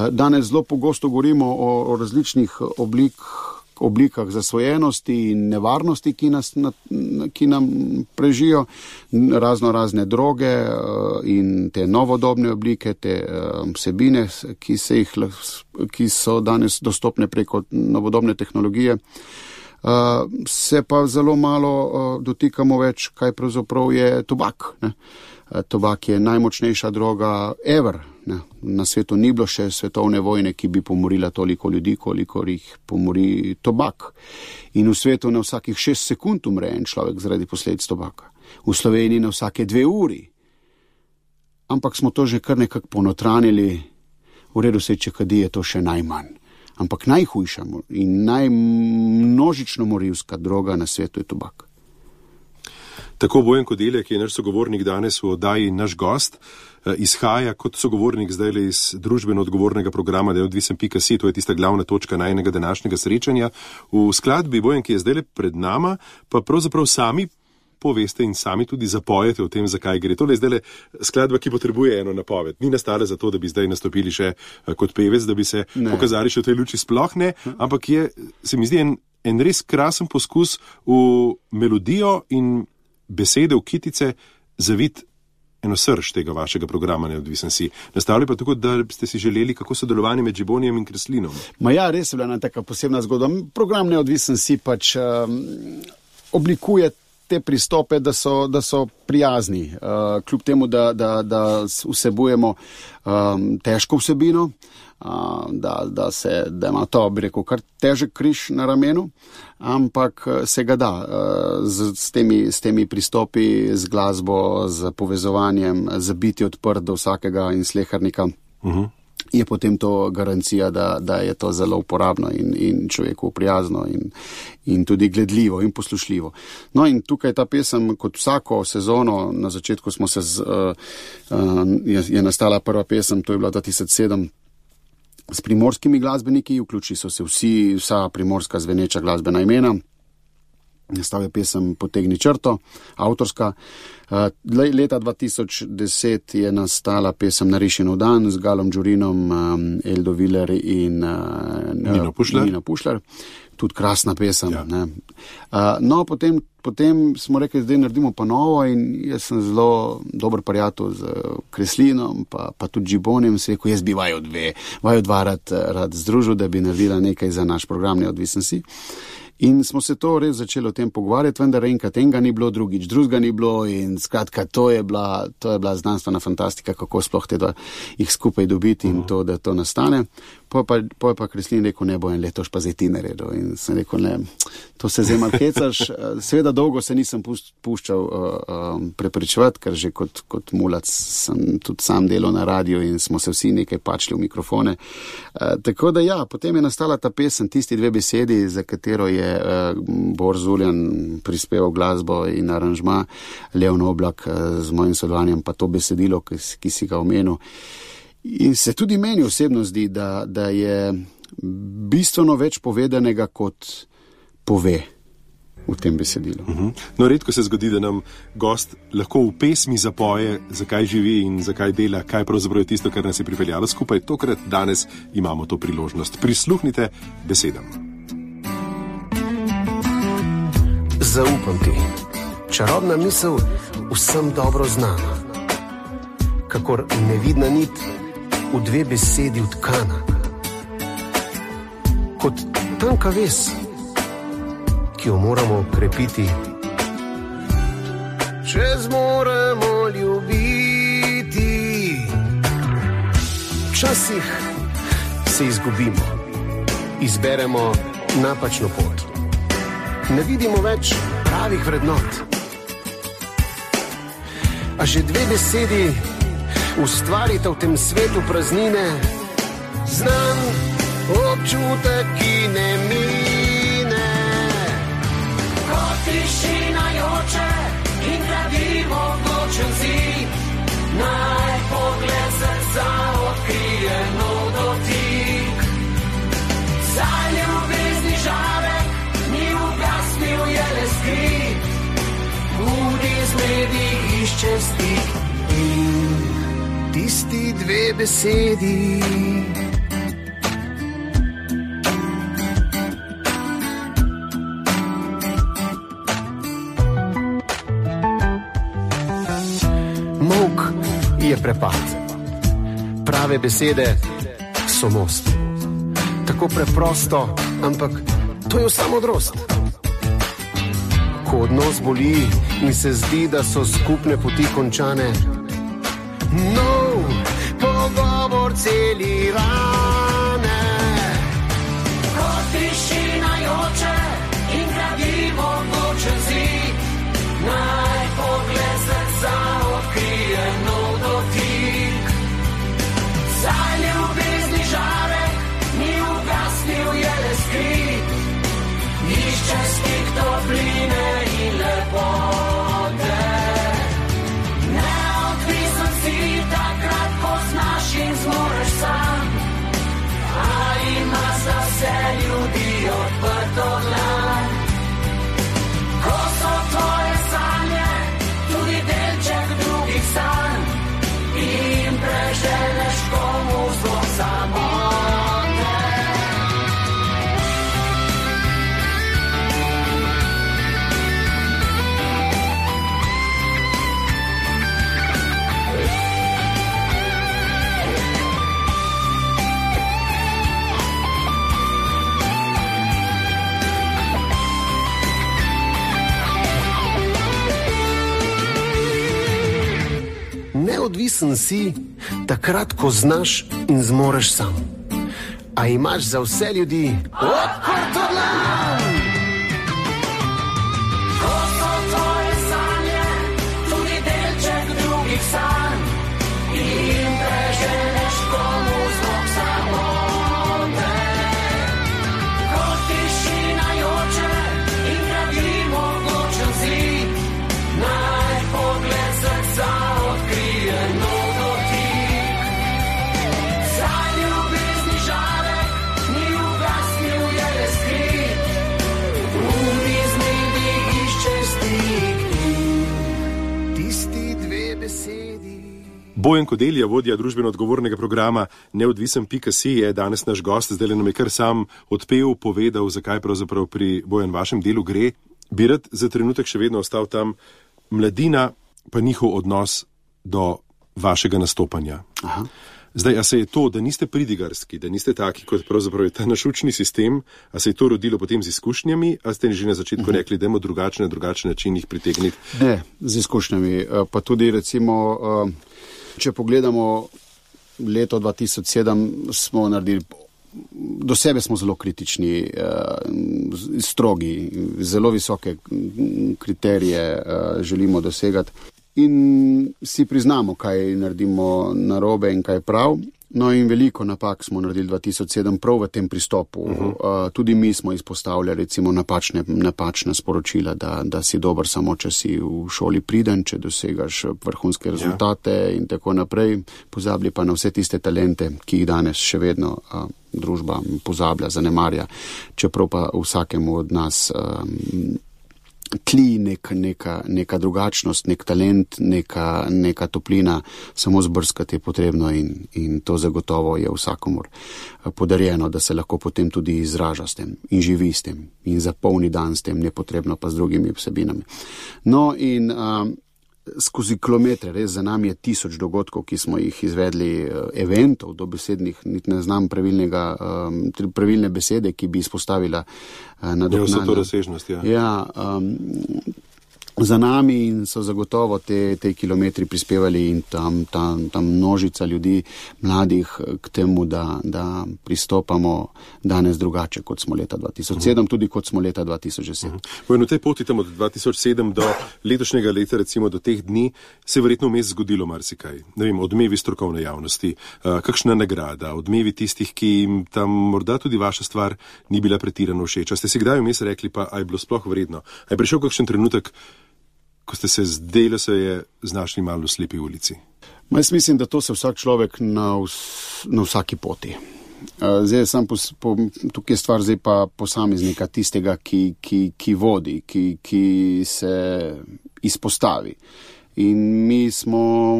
Danes zelo pogosto govorimo o različnih oblikah zasvojenosti in nevarnosti, ki nam prežijo, razne droge in te novodobne oblike, te vsebine, ki so danes dostopne preko novodobne tehnologije. Se pa zelo malo dotikamo več, kaj pravzaprav je tobak. Ne? Tobak je najmočnejša droga ever. Ne? Na svetu ni bilo še svetovne vojne, ki bi pomorila toliko ljudi, kolikor jih pomori tobak. In v svetu na vsakih 6 sekund umre en človek zaradi posledic tobaka. V Sloveniji na vsake 2 uri. Ampak smo to že kar nekako ponotranili. V redu se, če kadi, je to še najmanj. Ampak najhujša in najmnožično morilska droga na svetu je tobak. Tako Bojan Kodelja, ki je naš sogovornik danes v oddaji Naš gost, izhaja kot sogovornik zdaj iz družbeno odgovornega programa neodvisen.si, to je tista glavna točka najnega današnjega srečanja. V skladbi, Bojan, ki je zdaj pred nama, pa pravzaprav sami poveste in sami tudi zapojete o tem, zakaj gre. Tole je zdaj skladba, ki potrebuje eno napoved. Ni nastala zato, da bi zdaj nastopili še kot pevec, da bi se pokazali še v tej luči, sploh ne, ampak je, se mi zdi, en res krasen poskus v melodijo in besede v kitice zavit eno srž tega vašega programa Neodvisen si. Nastavili pa tako, da ste si želeli kako sodelovanje med Džibonijem in Kreslinom. Res je bila ena taka posebna zgodba. Program Neodvisen si pač oblikuje te pristope, da so prijazni, kljub temu, da vsebujemo težko vsebino, da ima to, bi rekel, kar težek križ na ramenu, ampak se ga da s temi pristopi, z glasbo, z povezovanjem, z biti odprt do vsakega in slehernika. Je potem to garancija, da je to zelo uporabno in človeku prijazno in tudi gledljivo in poslušljivo. No in tukaj ta pesem, kot vsako sezono, na začetku je nastala prva pesem, to je bila 2007, s primorskimi glasbeniki, vključili so se vsa primorska zveneča glasbena imena. Nastal je pesem Potegni črto, avtorska. Leta 2010 je nastala pesem Narišenov dan z Galom Đurinom, Eldo Viler in Nino Pušlar. Tudi krasna pesem. Ja. Ne. No, potem smo rekli, zdaj naredimo pa novo in jaz sem zelo dober prijatelj z Kreslinom, pa tudi Džibonim, se rekel, jaz bi vaju dva rad združil, da bi naredila nekaj za naš program Neodvisen si. In smo se to res začeli o tem pogovarjati, vendar enkrat enega ni bilo, drugič drugega ni bilo in skratka, to je bila znanstvena fantastika, kako sploh te dva jih skupaj dobiti in to, da to nastane. Po je pa Kreslin rekel, ne bo en letoš pa zdaj ti naredil in sem rekel, ne, to se zdaj malo hecaš. Seveda dolgo se nisem puščal prepričevati, ker že kot mulac sem tudi sam delal na radiju in smo se vsi nekaj pačli v mikrofone. Tako da ja, potem je nastala ta pesem, tisti dve besedi, za katero je Bor Zuljan prispeval glasbo in aranžma, Leon Oblak z mojim sodelovanjem, pa to besedilo, ki si ga omenil. In se tudi meni osebno zdi, da je bistveno več povedanega, kot pove v tem besedilu. No, redko se zgodi, da nam gost lahko v pesmi zapoje, zakaj živi in zakaj dela, kaj pravzaprav je tisto, kar nas je pripeljalo skupaj. Tokrat danes imamo to priložnost. Prisluhnite besedam. Zaupam ti, čarobna misel vsem dobro znana, kakor nevidna nit v dve besedi utkana, kot tanka vez, ki jo moramo krepiti, če zmoremo ljubiti. Včasih se izgubimo, izberemo napačno pot, ne vidimo več pravih vrednot, a že dve besedi ustvarite v tem svetu praznine, znan občutek, ki ne mine. Kot tišina joče in gradimo odločen zid, naj pogled srca odkrije nov dotik. Za ljubezni žarek ni ugasnil, je le skrit, budi zmedi, išče stik in tisti dve besedi. Molk je prepad, prave besede so most. Tako preprosto, ampak to je vsa modrost. Ko odnos boli in se zdi, da so skupne poti končane, nov pogovor celi rane. Kot tišina joče in gradimo odločen zid, naj pogled srca odkrije nov dotik. Za ljubezni žarek ni ugasnil, je le skrit, išče stik topline in lepote. In zmoreš sam, a ima za vse ljudi odprto dlan. Ko so tvoje sanje tudi delček drugih sanj in preželeš komu zlo samote. Neodvisen si takrat, ko znaš in zmoreš sam, a imaš za vse ljudi odprto dlan. Ko so tvoje sanje tudi delček drugih sanj in preženeš komu zlog samote. Kot tišina joče in gradimo odločen zid, naj pogled srca odkrije nov dotik. Za ljubezni žarek ni ugasnil, je le skrit, Bojan Kodelja, vodja družbeno odgovornega programa Neodvisen.si, je danes naš gost. Zdaj nam je kar sam odpel, povedal, zakaj pravzaprav pri Bojan vašem delu gre. Bi rad za trenutek še vedno ostal tam, mladina pa njihov odnos do vašega nastopanja. Aha. Zdaj, a se je to, da niste pridigarski, da niste taki, kot pravzaprav je ta naš učni sistem, a se je to rodilo potem z izkušnjami, a ste že na začetku rekli, da imamo drugačen način jih pritegniti? Ne, z izkušnjami. Pa tudi recimo, če pogledamo leto 2007, smo naredili, do sebe smo zelo kritični, strogi, zelo visoke kriterije želimo dosegati. In si priznamo, kaj naredimo narobe in kaj prav. No in veliko napak smo naredili 2007 prav v tem pristopu. Tudi mi smo izpostavljali recimo napačna sporočila, da si dober samo, če si v šoli priden, če dosegaš vrhunske rezultate in tako naprej. Pozabili pa na vse tiste talente, ki jih danes še vedno družba pozablja, zanemarja. Čeprav pa vsakemu od nas tli neka drugačnost, nek talent, neka toplina, samo zbrskati je potrebno in to zagotovo je vsakomur podarjeno, da se lahko potem tudi izraža s tem in živi s tem in zapolni dan s tem, nepotrebno pa z drugimi vsebinami. No in skozi kilometre, res za nami je 1000 dogodkov, ki smo jih izvedli, eventov, dobesednih, niti ne znam pravilne besede, ki bi izpostavila nadoknadno. Ja, vso to razsežnost, ja. Ja, za nami in so zagotovo te kilometri prispevali in tam množica ljudi, mladih, k temu, da pristopamo danes drugače, kot smo leta 2007, tudi kot smo leta 2010. V tej poti tam od 2007 do letošnjega leta, recimo do teh dni, se je verjetno vmes zgodilo marsikaj. Ne vem, odmevi strokovne javnosti, kakšna nagrada, odmevi tistih, ki jim tam morda tudi vaša stvar ni bila pretirano všeč. A ste si kdaj vmes rekli, pa a je bilo sploh vredno? A je prišel kakšen trenutek, ko ste se zdelo se je znašli malo v slepi ulici? Jaz mislim, da to se vsak človek na vsaki poti. Zdaj tukaj je stvar zdaj pa posameznika, tistega, ki vodi, ki se izpostavi. In mi smo,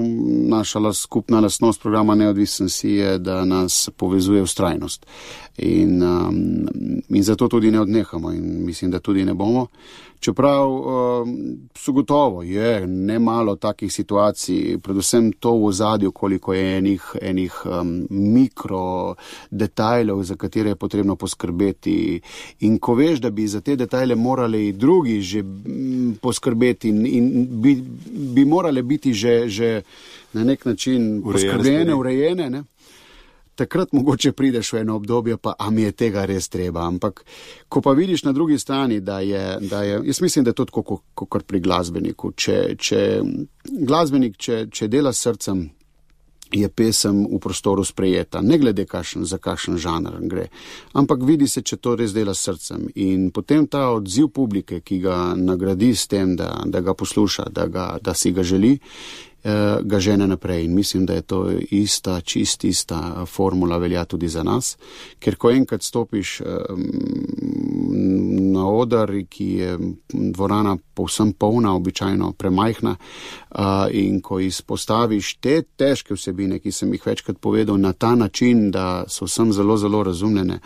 naša skupna lastnost programa Neodvisen.si je, da nas povezuje vztrajnost. In zato tudi ne odnehamo in mislim, da tudi ne bomo. Čeprav so gotovo, je nemalo takih situacij, predvsem to v ozadju, koliko je enih mikro detajlov, za katere je potrebno poskrbeti. In ko veš, da bi za te detajle morali drugi že poskrbeti in bi morale biti že na nek način poskrbljene, urejene, ne? Takrat mogoče prideš v eno obdobje, pa a mi je tega res treba. Ampak, ko pa vidiš na drugi strani, da je jaz mislim, da je to tako kot pri glasbeniku. Glasbenik, če dela s srcem, je pesem v prostoru sprejeta, ne glede za kakšen žanr gre. Ampak vidi se, če to res dela s srcem. In potem ta odziv publike, ki ga nagradi s tem, da ga posluša, da si ga želi, ga žene naprej. In mislim, da je to ista formula velja tudi za nas, ker ko enkrat stopiš na oder, ki je dvorana povsem polna, običajno premajhna, in ko izpostaviš te težke vsebine, ki sem jih večkrat povedal, na ta način, da so vsem zelo, zelo razumljene,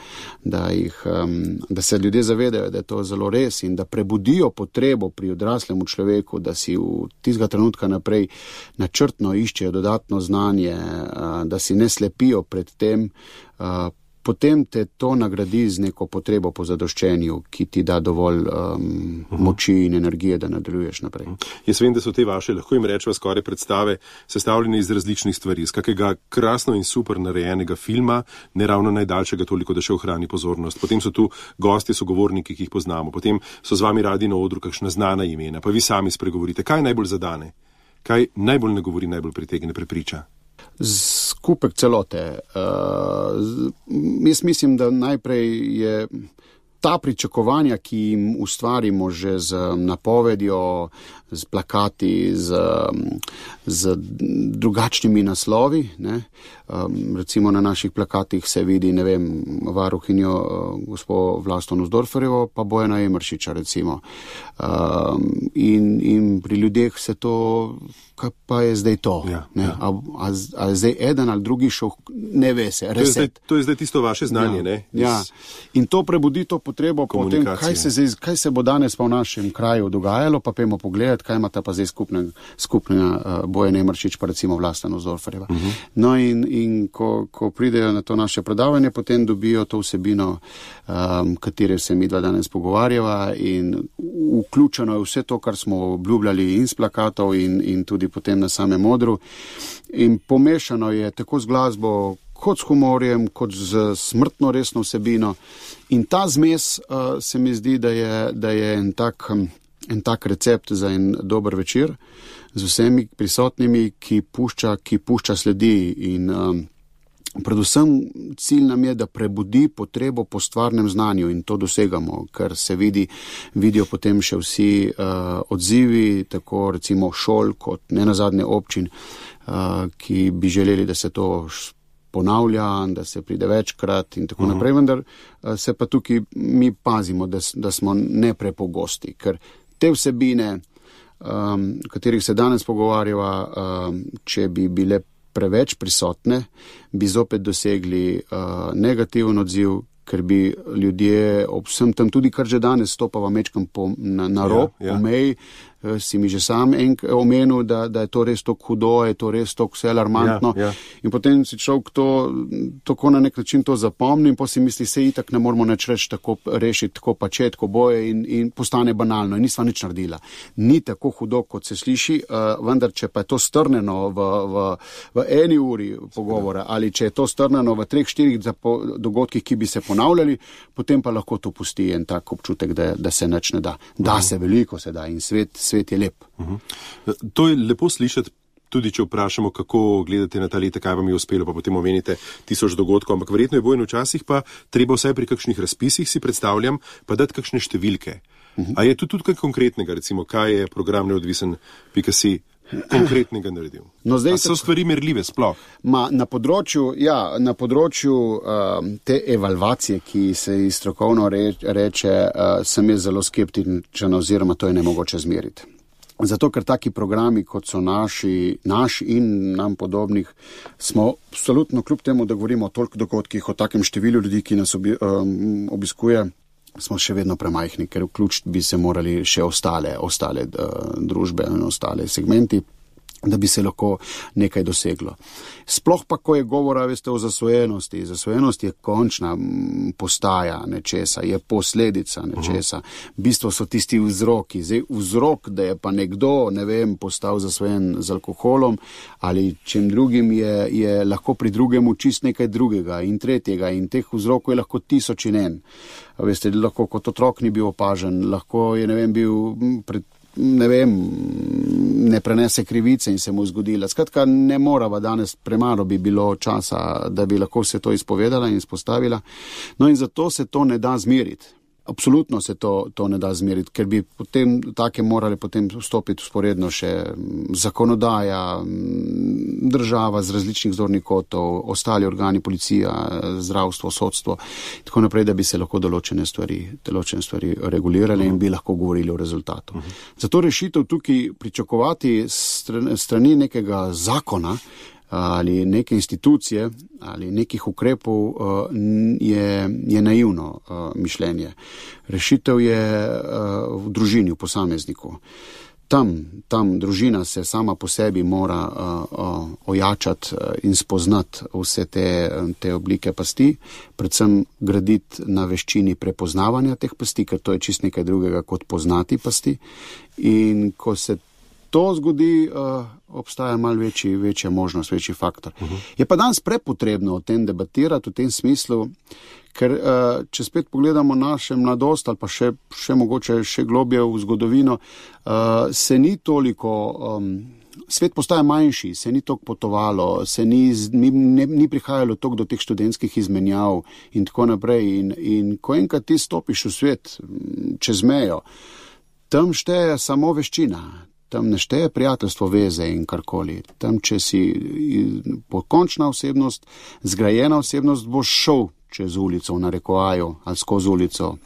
da se ljudje zavedajo, da je to zelo res in da prebudijo potrebo pri odraslemu človeku, da si v tistega trenutka naprej načrtno iščejo dodatno znanje, da si ne slepijo pred tem, potem te to nagradi z neko potrebo po zadoščenju, ki ti da dovolj moči in energije, da nadaljuješ naprej. Jaz vem, da so te vaše, lahko jim rečeva skoraj predstave, sestavljene iz različnih stvari, iz kakega krasno in super narejenega filma, ne ravno najdaljšega toliko, da še ohrani pozornost. Potem so tu gostje, sogovorniki, ki jih poznamo, potem so z vami radi na odru kakšna znana imena, pa vi sami spregovorite. Kaj najbolj zadane? Kaj najbolj nagovori, najbolj pritegne, prepriča? Skupek celote. Jaz mislim, da najprej je ta pričakovanja, ki jim ustvarimo že z napovedjo, z plakati, z drugačnimi naslovi, ne. Recimo na naših plakatih se vidi, ne vem, varuhinjo gospod Vlasto Nussdorferjevo, pa Bojana Emeršiča, recimo. In pri ljudeh se to, kaj pa je zdaj to? Ja, ne? ja. A je zdaj eden ali drugi šel, ne ve se, reset. To je zdaj tisto vaše znanje, ja, ne? Ja. In to prebudi to potrebo po tem, kaj se bo danes pa v našem kraju dogajalo, pa pojmo pogledati, kaj imata pa zdaj skupnega Bojan Emeršič, pa recimo Vlasta Nussdorferjeva. No in ko pridejo na to naše predavanje, potem dobijo to vsebino, katere se mi dva danes pogovarjava, in vključeno je vse to, kar smo obljubljali in s plakatov in tudi potem na samem odru. In pomešano je tako z glasbo, kot s humorjem, kot z smrtno resno vsebino. In ta zmes se mi zdi, da je en tak recept za en dober večer z vsemi prisotnimi, ki pušča sledi. In predvsem cilj nam je, da prebudi potrebo po stvarnem znanju, in to dosegamo, ker se vidijo potem še vsi odzivi, tako recimo šol kot nenazadnje občin, ki bi želeli, da se to ponavlja, da se pride večkrat in tako naprej, vendar se pa tukaj mi pazimo, da smo neprepogosti, ker te vsebine, katerih se danes pogovarjava, če bi bile preveč prisotne, bi zopet dosegli negativen odziv, ker bi ljudje ob vsem tam, tudi kar že danes stopava mečkam na rob, po meji, si mi že sam omenil, da je to res tako hudo, je to res tako vse alarmantno. In potem si človek to tako na nek način to zapomni in potem si misli, se itak ne moramo nič reči, tako rešiti, tako pače, tako boje in postane banalno in nisva nič naredila. Ni tako hudo, kot se sliši, vendar če pa je to strneno v eni uri pogovora ali če je to strneno v 3-4 dogodkih, ki bi se ponavljali, potem pa lahko to pusti en tak občutek, da se nič ne da. Da se veliko se da in svet je lep. To je lepo slišati, tudi če vprašamo, kako gledate na ta leta, kaj vam je uspelo, pa potem omenite 1000 dogodkov, ampak verjetno je Bojan včasih pa treba vsaj pri kakšnih razpisih, si predstavljam, pa dati kakšne številke. A je tudi kaj konkretnega, recimo, kaj je program neodvisen.si konkretnega naredil? No, zdaj so stvari merljive sploh? Na področju te evalvacije, ki se ji strokovno reče, sem jaz zelo skeptičen oziroma to je nemogoče zmeriti. Zato, ker taki programi, kot so naš in nam podobnih, smo absolutno, kljub temu, da govorimo o toliko dogodkih, o takem številu ljudi, ki nas obiskuje, smo še vedno premajhni, ker vključiti bi se morali še ostale družbe in ostale segmenti, da bi se lahko nekaj doseglo. Sploh pa, ko je govora, veste, o zasvojenosti. Zasvojenost je končna postaja nečesa, je posledica nečesa. V bistvu so tisti vzroki. Zdaj, vzrok, da je pa nekdo, postal zasvojen z alkoholom ali čem drugim, je lahko pri drugemu čist nekaj drugega in tretjega in teh vzrokov je lahko 1000 in en. Veste, lahko kot otrok ni bil opažen, lahko je, bil ne prenese krivice in se mu zgodila. Skratka, ne morava danes, premalo bi bilo časa, da bi lahko vse to izpovedala in izpostavila. No in zato se to ne da zmeriti. Absolutno se to ne da zmeriti, ker bi potem take morali potem vstopiti usporedno še zakonodaja, država z različnih zornih kotov, ostali organi, policija, zdravstvo, sodstvo, tako naprej, da bi se lahko določene stvari regulirali in bi lahko govorili o rezultatu. Zato rešitev tukaj pričakovati strani nekega zakona ali neke institucije ali nekih ukrepov je naivno mišljenje. Rešitev je v družini, v posamezniku. Tam družina se sama po sebi mora ojačati in spoznati vse te oblike pasti, predvsem graditi na veščini prepoznavanja teh pasti, ker to je čist nekaj drugega kot poznati pasti. In ko se to zgodi, obstaja malo večja možnost, večji faktor. Je pa danes prepotrebno o tem debatirati v tem smislu, ker če spet pogledamo naše mladost ali pa še mogoče še globje v zgodovino, se ni toliko, svet postaja manjši, se ni toliko potovalo, se ni prihajalo toliko do teh študentskih izmenjav in tako naprej. In ko enkrat ti stopiš v svet čez mejo, tam šteje samo veščina. Tam ne šteje prijateljstvo, veze in karkoli. Tam, če si pokončna osebnost, zgrajena osebnost, boš šel čez ulico v narekovaju ali skozi ulico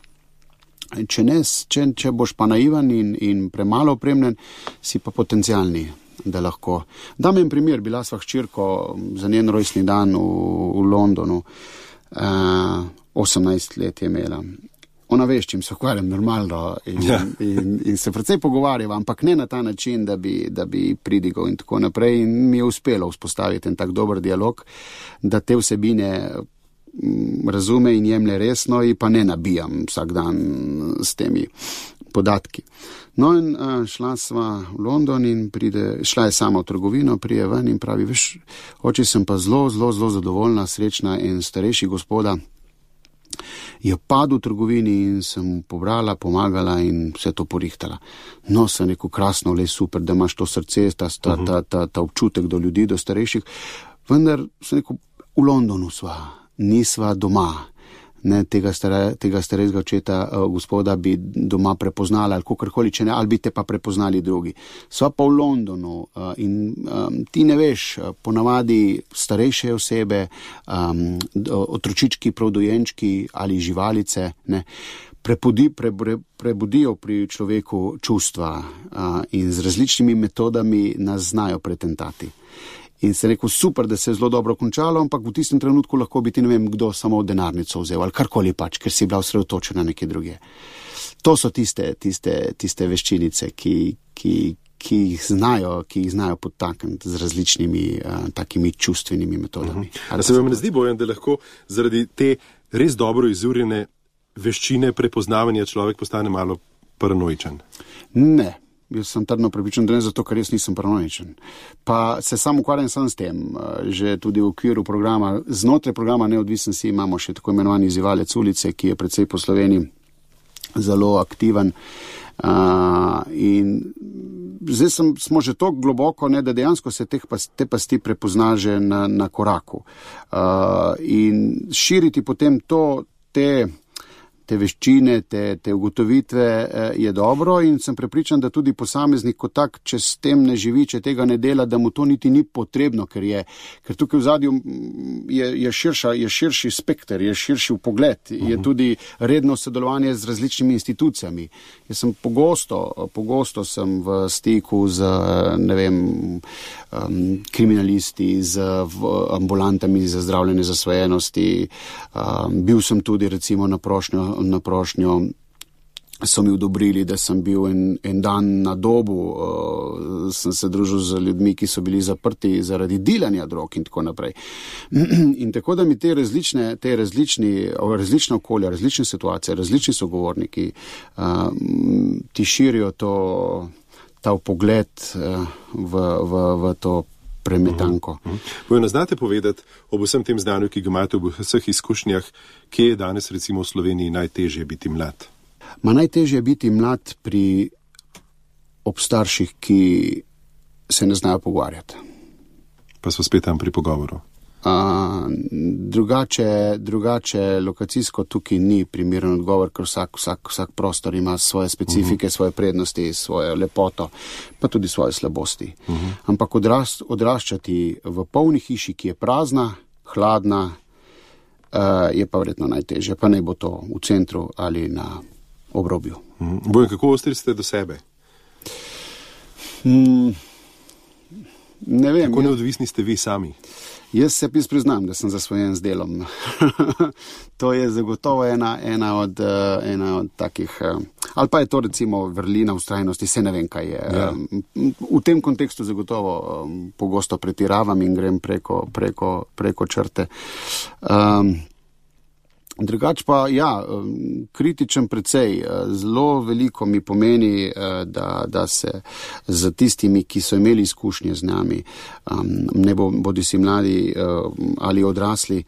Če boš pa naivan in premalo opremljen, si pa potencialni, da lahko. Dam en primer, bila sva hčerko za njen rojstni dan v Londonu, 18 let je imela. Ona veš, čim se ukvarjam normalno in se precej pogovarjava, ampak ne na ta način, da bi pridigal in tako naprej. In mi je uspelo vzpostaviti en tak dober dialog, da te vsebine razume in jemlje resno in pa ne nabijam vsak dan s temi podatki. No in šla sva v London in šla je sama v trgovino, prije ven in pravi, veš, oče, sem pa zelo zadovoljna, srečna in starejši gospoda je padel v trgovini in sem pobrala, pomagala in vse to porihtala. No, sem rekel, krasno, le super, da imaš to srce, ta občutek do ljudi, do starejših, vendar sem rekel, v Londonu sva, nisva doma. Ne, tega starejšega očeta, gospoda bi doma prepoznala ali kakorkoli, če ne, ali bi te pa prepoznali drugi. Sva pa v Londonu in ti ne veš, ponavadi starejše osebe, otročički, pravdojenčki ali živalice, ne, prebudijo pri človeku čustva in z različnimi metodami nas znajo pretentati. In se rekel, super, da se je zelo dobro končalo, ampak v tistem trenutku lahko bi ti ne vem kdo samo denarnico vzel ali karkoli pač, ker si bila osredotočena nekje druge. To so tiste veščinice, ki jih znajo podtakniti z različnimi takimi čustvenimi metodami. A se vam ne zdi, Bojan, da lahko zaradi te res dobro izurjene veščine prepoznavanja človek postane malo paranoičen? Ne. Jaz sem trdno prepričan, da ne zato, ker jaz nisem paranoičen. Pa se sam ukvarjam sam s tem, že tudi v okviru programa, znotraj programa Neodvisnosti imamo še tako imenovani izzivalec ulice, ki je precej po Sloveniji zelo aktiven. In zdaj smo že tako globoko, ne, da dejansko se te pasti prepozna že na koraku. In širiti potem te veščine, te ugotovitve je dobro in sem prepričan, da tudi posameznik kot tak, če s tem ne živi, če tega ne dela, da mu to niti ni potrebno, ker tukaj v zadju je širši spekter, je širši pogled, je tudi redno sodelovanje z različnimi institucijami. Jaz sem pogosto sem v stiku z, ne vem, kriminalisti, z ambulantami za zdravljenje zasvojenosti. Bil sem tudi recimo na prošnjo so mi odobrili, da sem bil en dan na Dobu, sem se družil z ljudmi, ki so bili zaprti zaradi dilanja drog in tako naprej. In tako da mi te različna okolja, različne situacije, različni sogovorniki ti širijo ta pogled v to premetanko. Bojana, znate povedati ob vsem tem znanju, ki ga imate v vseh izkušnjah, kje je danes recimo v Sloveniji najtežje biti mlad? Najtežje je biti mlad ob starših, ki se ne znajo pogovarjati. Pa so spet tam pri pogovoru. Drugače lokacijsko tukaj ni primeren odgovor, ker vsak prostor ima svoje specifike, svoje prednosti, svojo lepoto, pa tudi svoje slabosti. Ampak odraščati v polni hiši, ki je prazna, hladna, je pa verjetno najtežje, pa naj bo to v centru ali na obrobju. Bojan, kako ostri ste do sebe? Ne vem. Kako neodvisni ste vi sami? Jaz se priznam, da sem zasvojen z delom. To je zagotovo ena od takih, ali pa je to recimo vrlina vztrajnosti, se ne vem, kaj je. Ja. V tem kontekstu zagotovo pogosto pretiravam in grem preko črte. Drugač pa, kritičen precej. Zelo veliko mi pomeni, da se z tistimi, ki so imeli izkušnje z nami, ne bodisi mladi ali odrasli,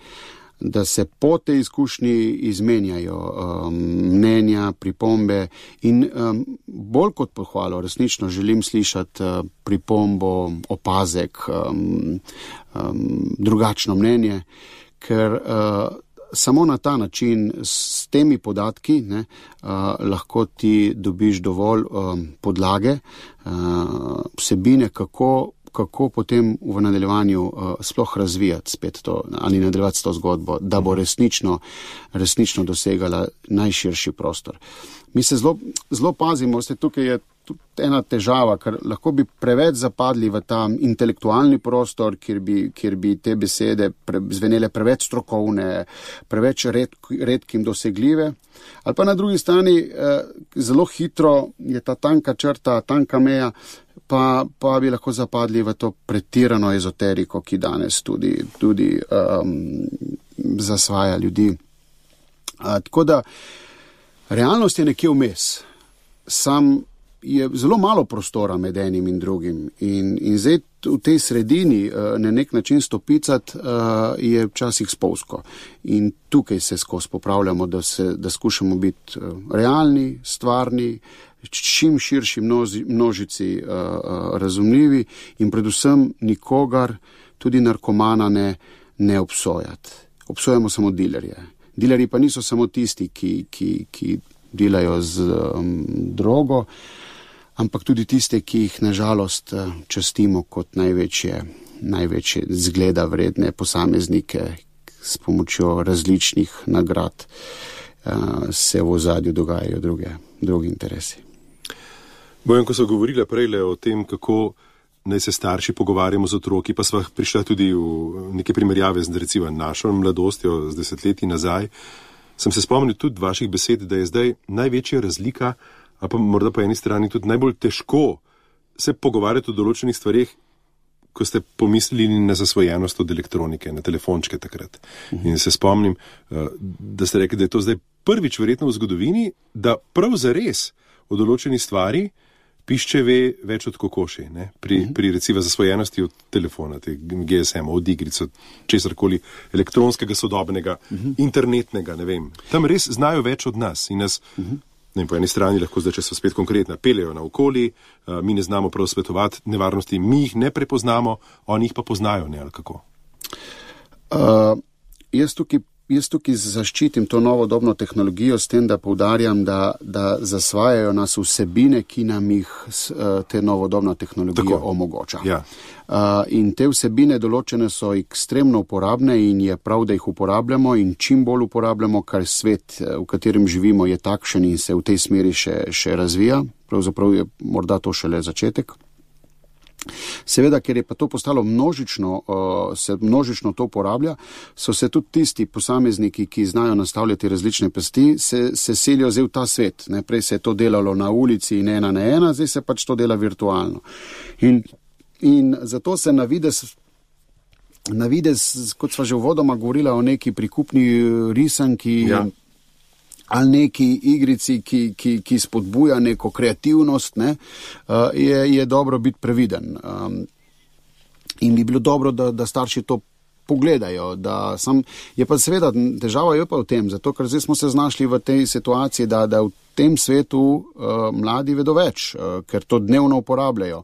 da se po tej izkušnji izmenjajo mnenja, pripombe in bolj kot pohvalo resnično želim slišati pripombo, opazek, drugačno mnenje, ker samo na ta način, s temi podatki, lahko ti dobiš dovolj podlage, vsebine, kako kako potem v nadaljevanju sploh razvijati spet to, ali nadaljevati to zgodbo, da bo resnično dosegala najširši prostor. Mi se zelo pazimo, tukaj je tudi ena težava, ker lahko bi preveč zapadli v ta intelektualni prostor, kjer bi te besede zvenele preveč strokovne, preveč redkim dosegljive. Ali pa na drugi strani zelo hitro je ta tanka črta, tanka meja, pa bi lahko zapadli v to pretirano ezoteriko, ki danes tudi zasvaja ljudi. Tako da realnost je nekje vmes. Sam je zelo malo prostora med enim in drugim in zdaj v tej sredini na nek način stopicati je včasih spolzko. In tukaj se skozi popravljamo, da skušamo biti realni, stvarni, čim širši množici razumljivi in predvsem nikogar, tudi narkomana ne obsojati. Obsojamo samo dilerje. Dilerji pa niso samo tisti, ki delajo z drogo, ampak tudi tiste, ki jih nažalost častimo kot največje zgleda vredne posameznike s pomočjo različnih nagrad, se v ozadju dogajajo drugi interesi. Bojan, ko so govorila prejle o tem, kako naj se starši pogovarjamo z otroki, pa sva prišla tudi v neke primerjave z recimo našo mladostjo, z 10 leti nazaj, sem se spomnil tudi vaših besed, da je zdaj največja razlika, a pa morda po eni strani tudi najbolj težko se pogovarjati o določenih stvarih, ko ste pomislili na zasvojenost od elektronike, na telefončke takrat. In se spomnim, da ste rekli, da je to zdaj prvič verjetno v zgodovini, da prav zares o določeni stvari pišče ve več od kokoši, ne? Pri recimo zasvojenosti od telefona, GSM, od igric, od česarkoli elektronskega, sodobnega, internetnega, ne vem. Tam res znajo več od nas in nas, po eni strani lahko zdaj, če so spet konkretna, peljejo naokoli, mi ne znamo prav svetovati nevarnosti, mi jih ne prepoznamo, oni jih pa poznajo, ne, ali kako? Jaz tukaj zaščitim to novodobno tehnologijo s tem, da poudarjam, da zasvajajo nas vsebine, ki nam jih te novodobna tehnologija omogoča. Ja. In te vsebine določene so ekstremno uporabne in je prav, da jih uporabljamo in čim bolj uporabljamo, kar svet, v katerem živimo, je takšen in se v tej smeri še razvija. Pravzaprav je morda to šele začetek. Seveda, ker je pa to postalo se množično to uporablja, so se tudi tisti posamezniki, ki znajo nastavljati različne pasti, se selijo zdaj v ta svet. Prej se je to delalo na ulici in 1 na 1, zdaj se pač to dela virtualno. In zato se navidez, kot sva že uvodoma govorila o neki prikupni risanki, ali neki igrici, ki spodbuja neko kreativnost, je dobro biti previden. In bi bilo dobro, da starši to pogledajo. Je pa seveda, težava je pa v tem, zato ker zdaj smo se znašli v tej situaciji, da v tem svetu mladi vedo več, ker to dnevno uporabljajo.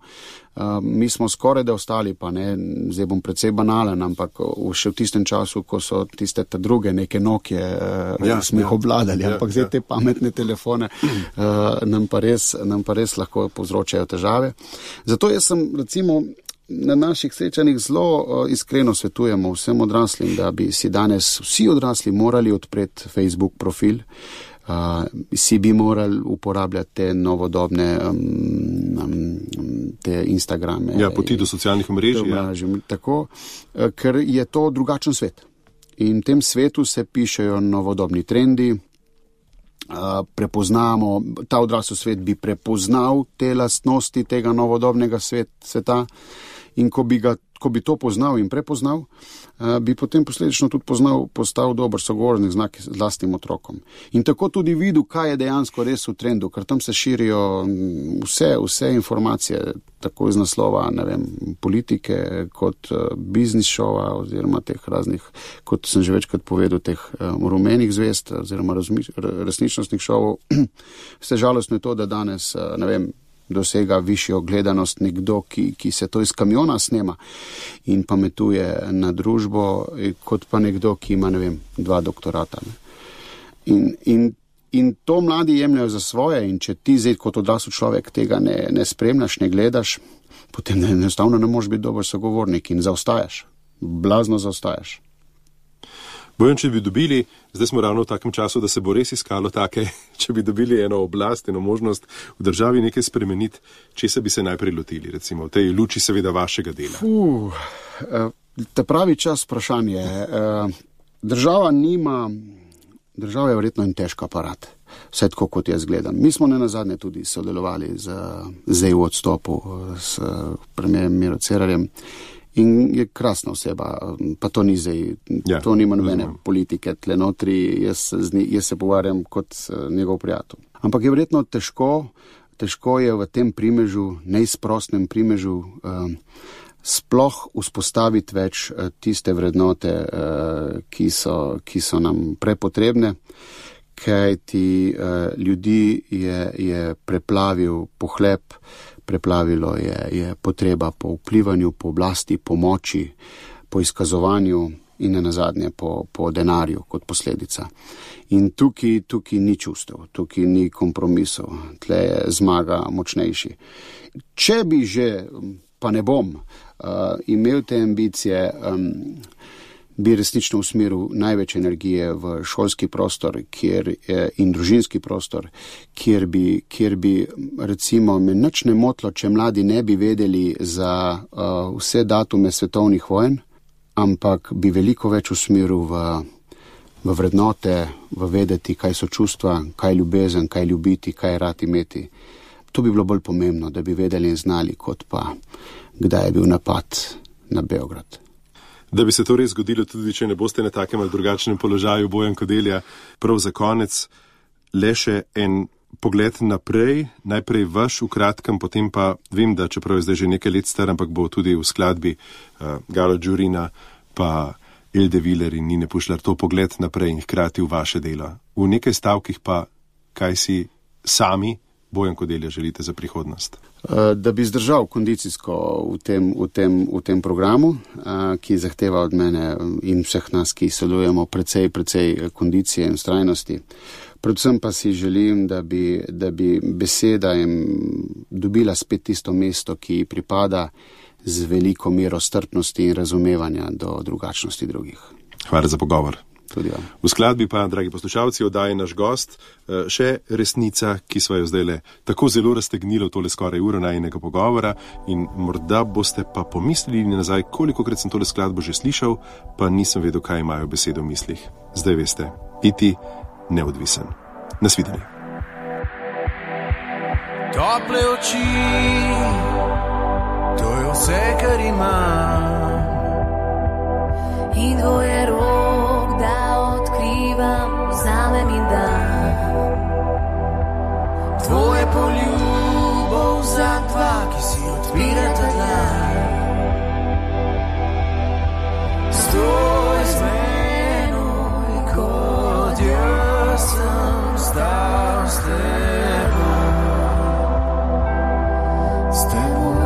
Mi smo skoraj da ostali, pa ne, zdaj bom precej banalen, ampak še v tistem času, ko so tiste druge neke Nokie, smo jih obvladali, ampak zdaj te pametne telefone nam pa res lahko povzročajo težave. Zato jaz sem recimo na naših srečanjih zelo iskreno svetujemo vsem odraslim, da bi si danes vsi odrasli morali odpreti Facebook profil, si bi morali uporabljati te novodobne te Instagrame. Ja, poti do socialnih omrežij. Tako, ker je to drugačen svet. In v tem svetu se pišejo novodobni trendi, prepoznamo, ta odrasel svet bi prepoznal te lastnosti tega novodobnega sveta in ko bi to poznal in prepoznal, bi potem posledično tudi postal dober sogovornik z lastnim otrokom. In tako tudi videl, kaj je dejansko res v trendu, ker tam se širijo vse informacije, tako iz naslova, ne vem, politike, kot biznis šova, oziroma teh raznih, kot sem že večkrat povedal, teh rumenih zvezd, oziroma resničnostnih šovov. Vse žalostno je to, da danes, ne vem, dosega višjo gledanost nekdo, ki se to iz kamiona snema in pametuje na družbo, kot pa nekdo, ki ima, ne vem, 2 doktorata. In to mladi jemljajo za svoje in če ti zdaj kot odrasel človek tega ne spremljaš, ne gledaš, potem enostavno ne moreš biti dober sogovornik in zaostajaš. Blazno zaostajaš. Bojan, če bi dobili, zdaj smo ravno v takem času, da se bo res iskalo take, če bi dobili eno oblast, eno možnost v državi nekaj spremeniti, česa bi se najprej lotili, recimo v tej luči seveda vašega dela? Ta pravi čas vprašanje. Država je verjetno en težk aparat, vse tako kot jaz gledam. Mi smo nenazadnje tudi sodelovali z EU odstopu, s premijerjem Miro Cerarjem. In je krasna oseba, pa to ni zdaj, to nima nobene politike tle notri, jaz se pogovarjam kot njegov prijatelj. Ampak je verjetno težko je v tem primežu, neizprostnem primežu, sploh vzpostaviti več tiste vrednote, ki so nam prepotrebne, kajti ljudi je preplavil pohlep, preplavilo je potreba po vplivanju, po oblasti, po moči, po izkazovanju in nenazadnje po denarju kot posledica. In tukaj ni čustev, tukaj ni kompromisov, tle je zmaga močnejši. Če bi že, pa ne bom, imel te ambicije, bi resnično usmeril največ energije v šolski prostor in družinski prostor, kjer bi recimo me nič ne motilo, če mladi ne bi vedeli za vse datume svetovnih vojn, ampak bi veliko več usmeril v vrednote, v vedeti, kaj so čustva, kaj ljubezen, kaj ljubiti, kaj rad imeti. To bi bilo bolj pomembno, da bi vedeli in znali, kot pa kdaj je bil napad na Beograd. Da bi se to res zgodilo, tudi če ne boste na takem ali drugačnem položaju, Bojan Kodelja, prav za konec, le še en pogled naprej, najprej vaš v kratkem, potem pa vem, da čeprav je zdaj že nekaj let star, ampak bo tudi v skladbi Galo Đurina pa Elde Viler in Nine Pušlar to pogled naprej in hkrati v vaše delo. V nekaj stavkih pa, kaj si sami, Bojan Kodelja, želite za prihodnost? Da bi zdržal kondicijsko v tem programu, ki zahteva od mene in vseh nas, ki sodelujemo, precej kondicije in vztrajnosti. Predvsem pa si želim, da bi beseda dobila spet tisto mesto, ki ji pripada z veliko mero strpnosti in razumevanja do drugačnosti drugih. Hvala za pogovor. Tudi ja. V skladbi pa, dragi poslušalci, oddaje naš gost, še resnica, ki sva jo zdaj tako zelo raztegnila v tole skoraj uro najinega pogovora in morda boste pa pomislili nazaj, kolikokrat sem tole skladbo že slišal, pa nisem vedel, kaj imajo besede v mislih. Zdaj veste, biti neodvisen. Nasvidenje. Tople oči, to je vse, kar imam. In dvoje rok, da odkrivam, vzamem in dam. Tvoje poljubov za dva, ki si odpirata dlan. Stoj z menoj, kot jaz sem stal s teboj. S teboj.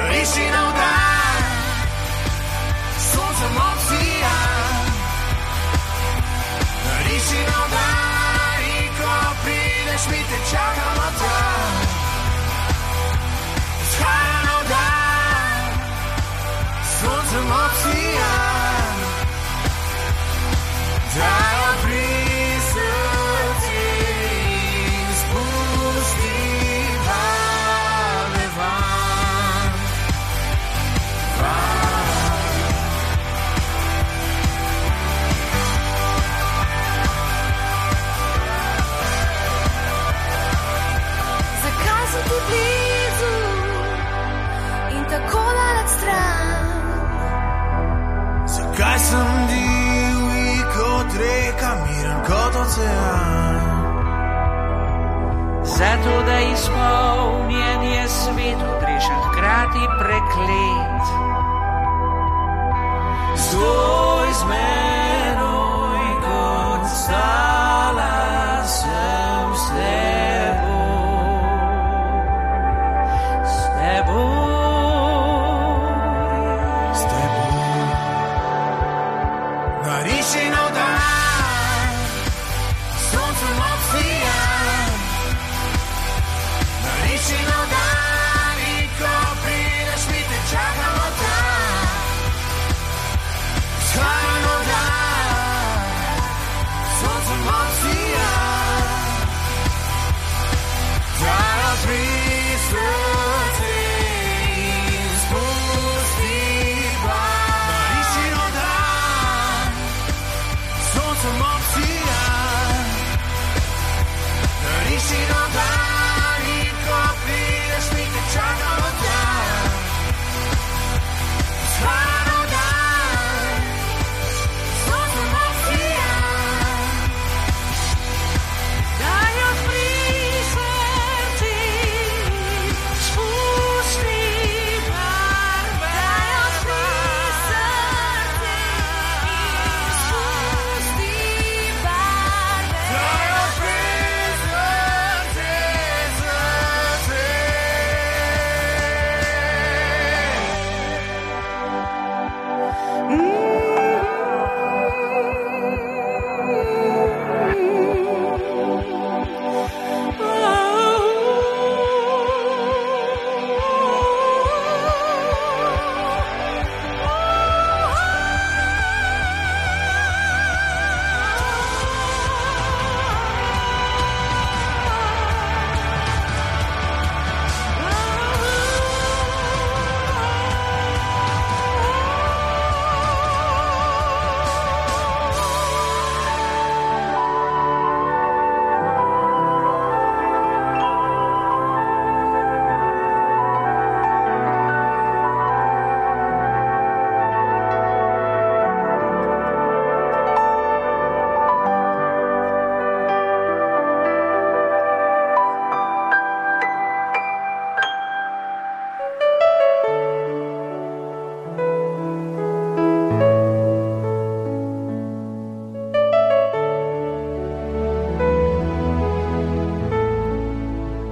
Riši na vdan, soncem obsijam. Riši na vdan in ko prideš, mi te čakam tam. Vzhaja na vdan, soncem obsijam. Dajo pri srci in spusti vame van. Zakaj sem ti blizu in tako daleč stran? Zakaj sem divji kot reka, miren kot ocean? Zato, da izpolnjen je svet, odrešen hkrati preklet. Stoj z menoj, kot stala sem s teboj. S teboj. S teboj. Nariši na vdan, soncem obsijam. Nariši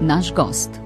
naš gost.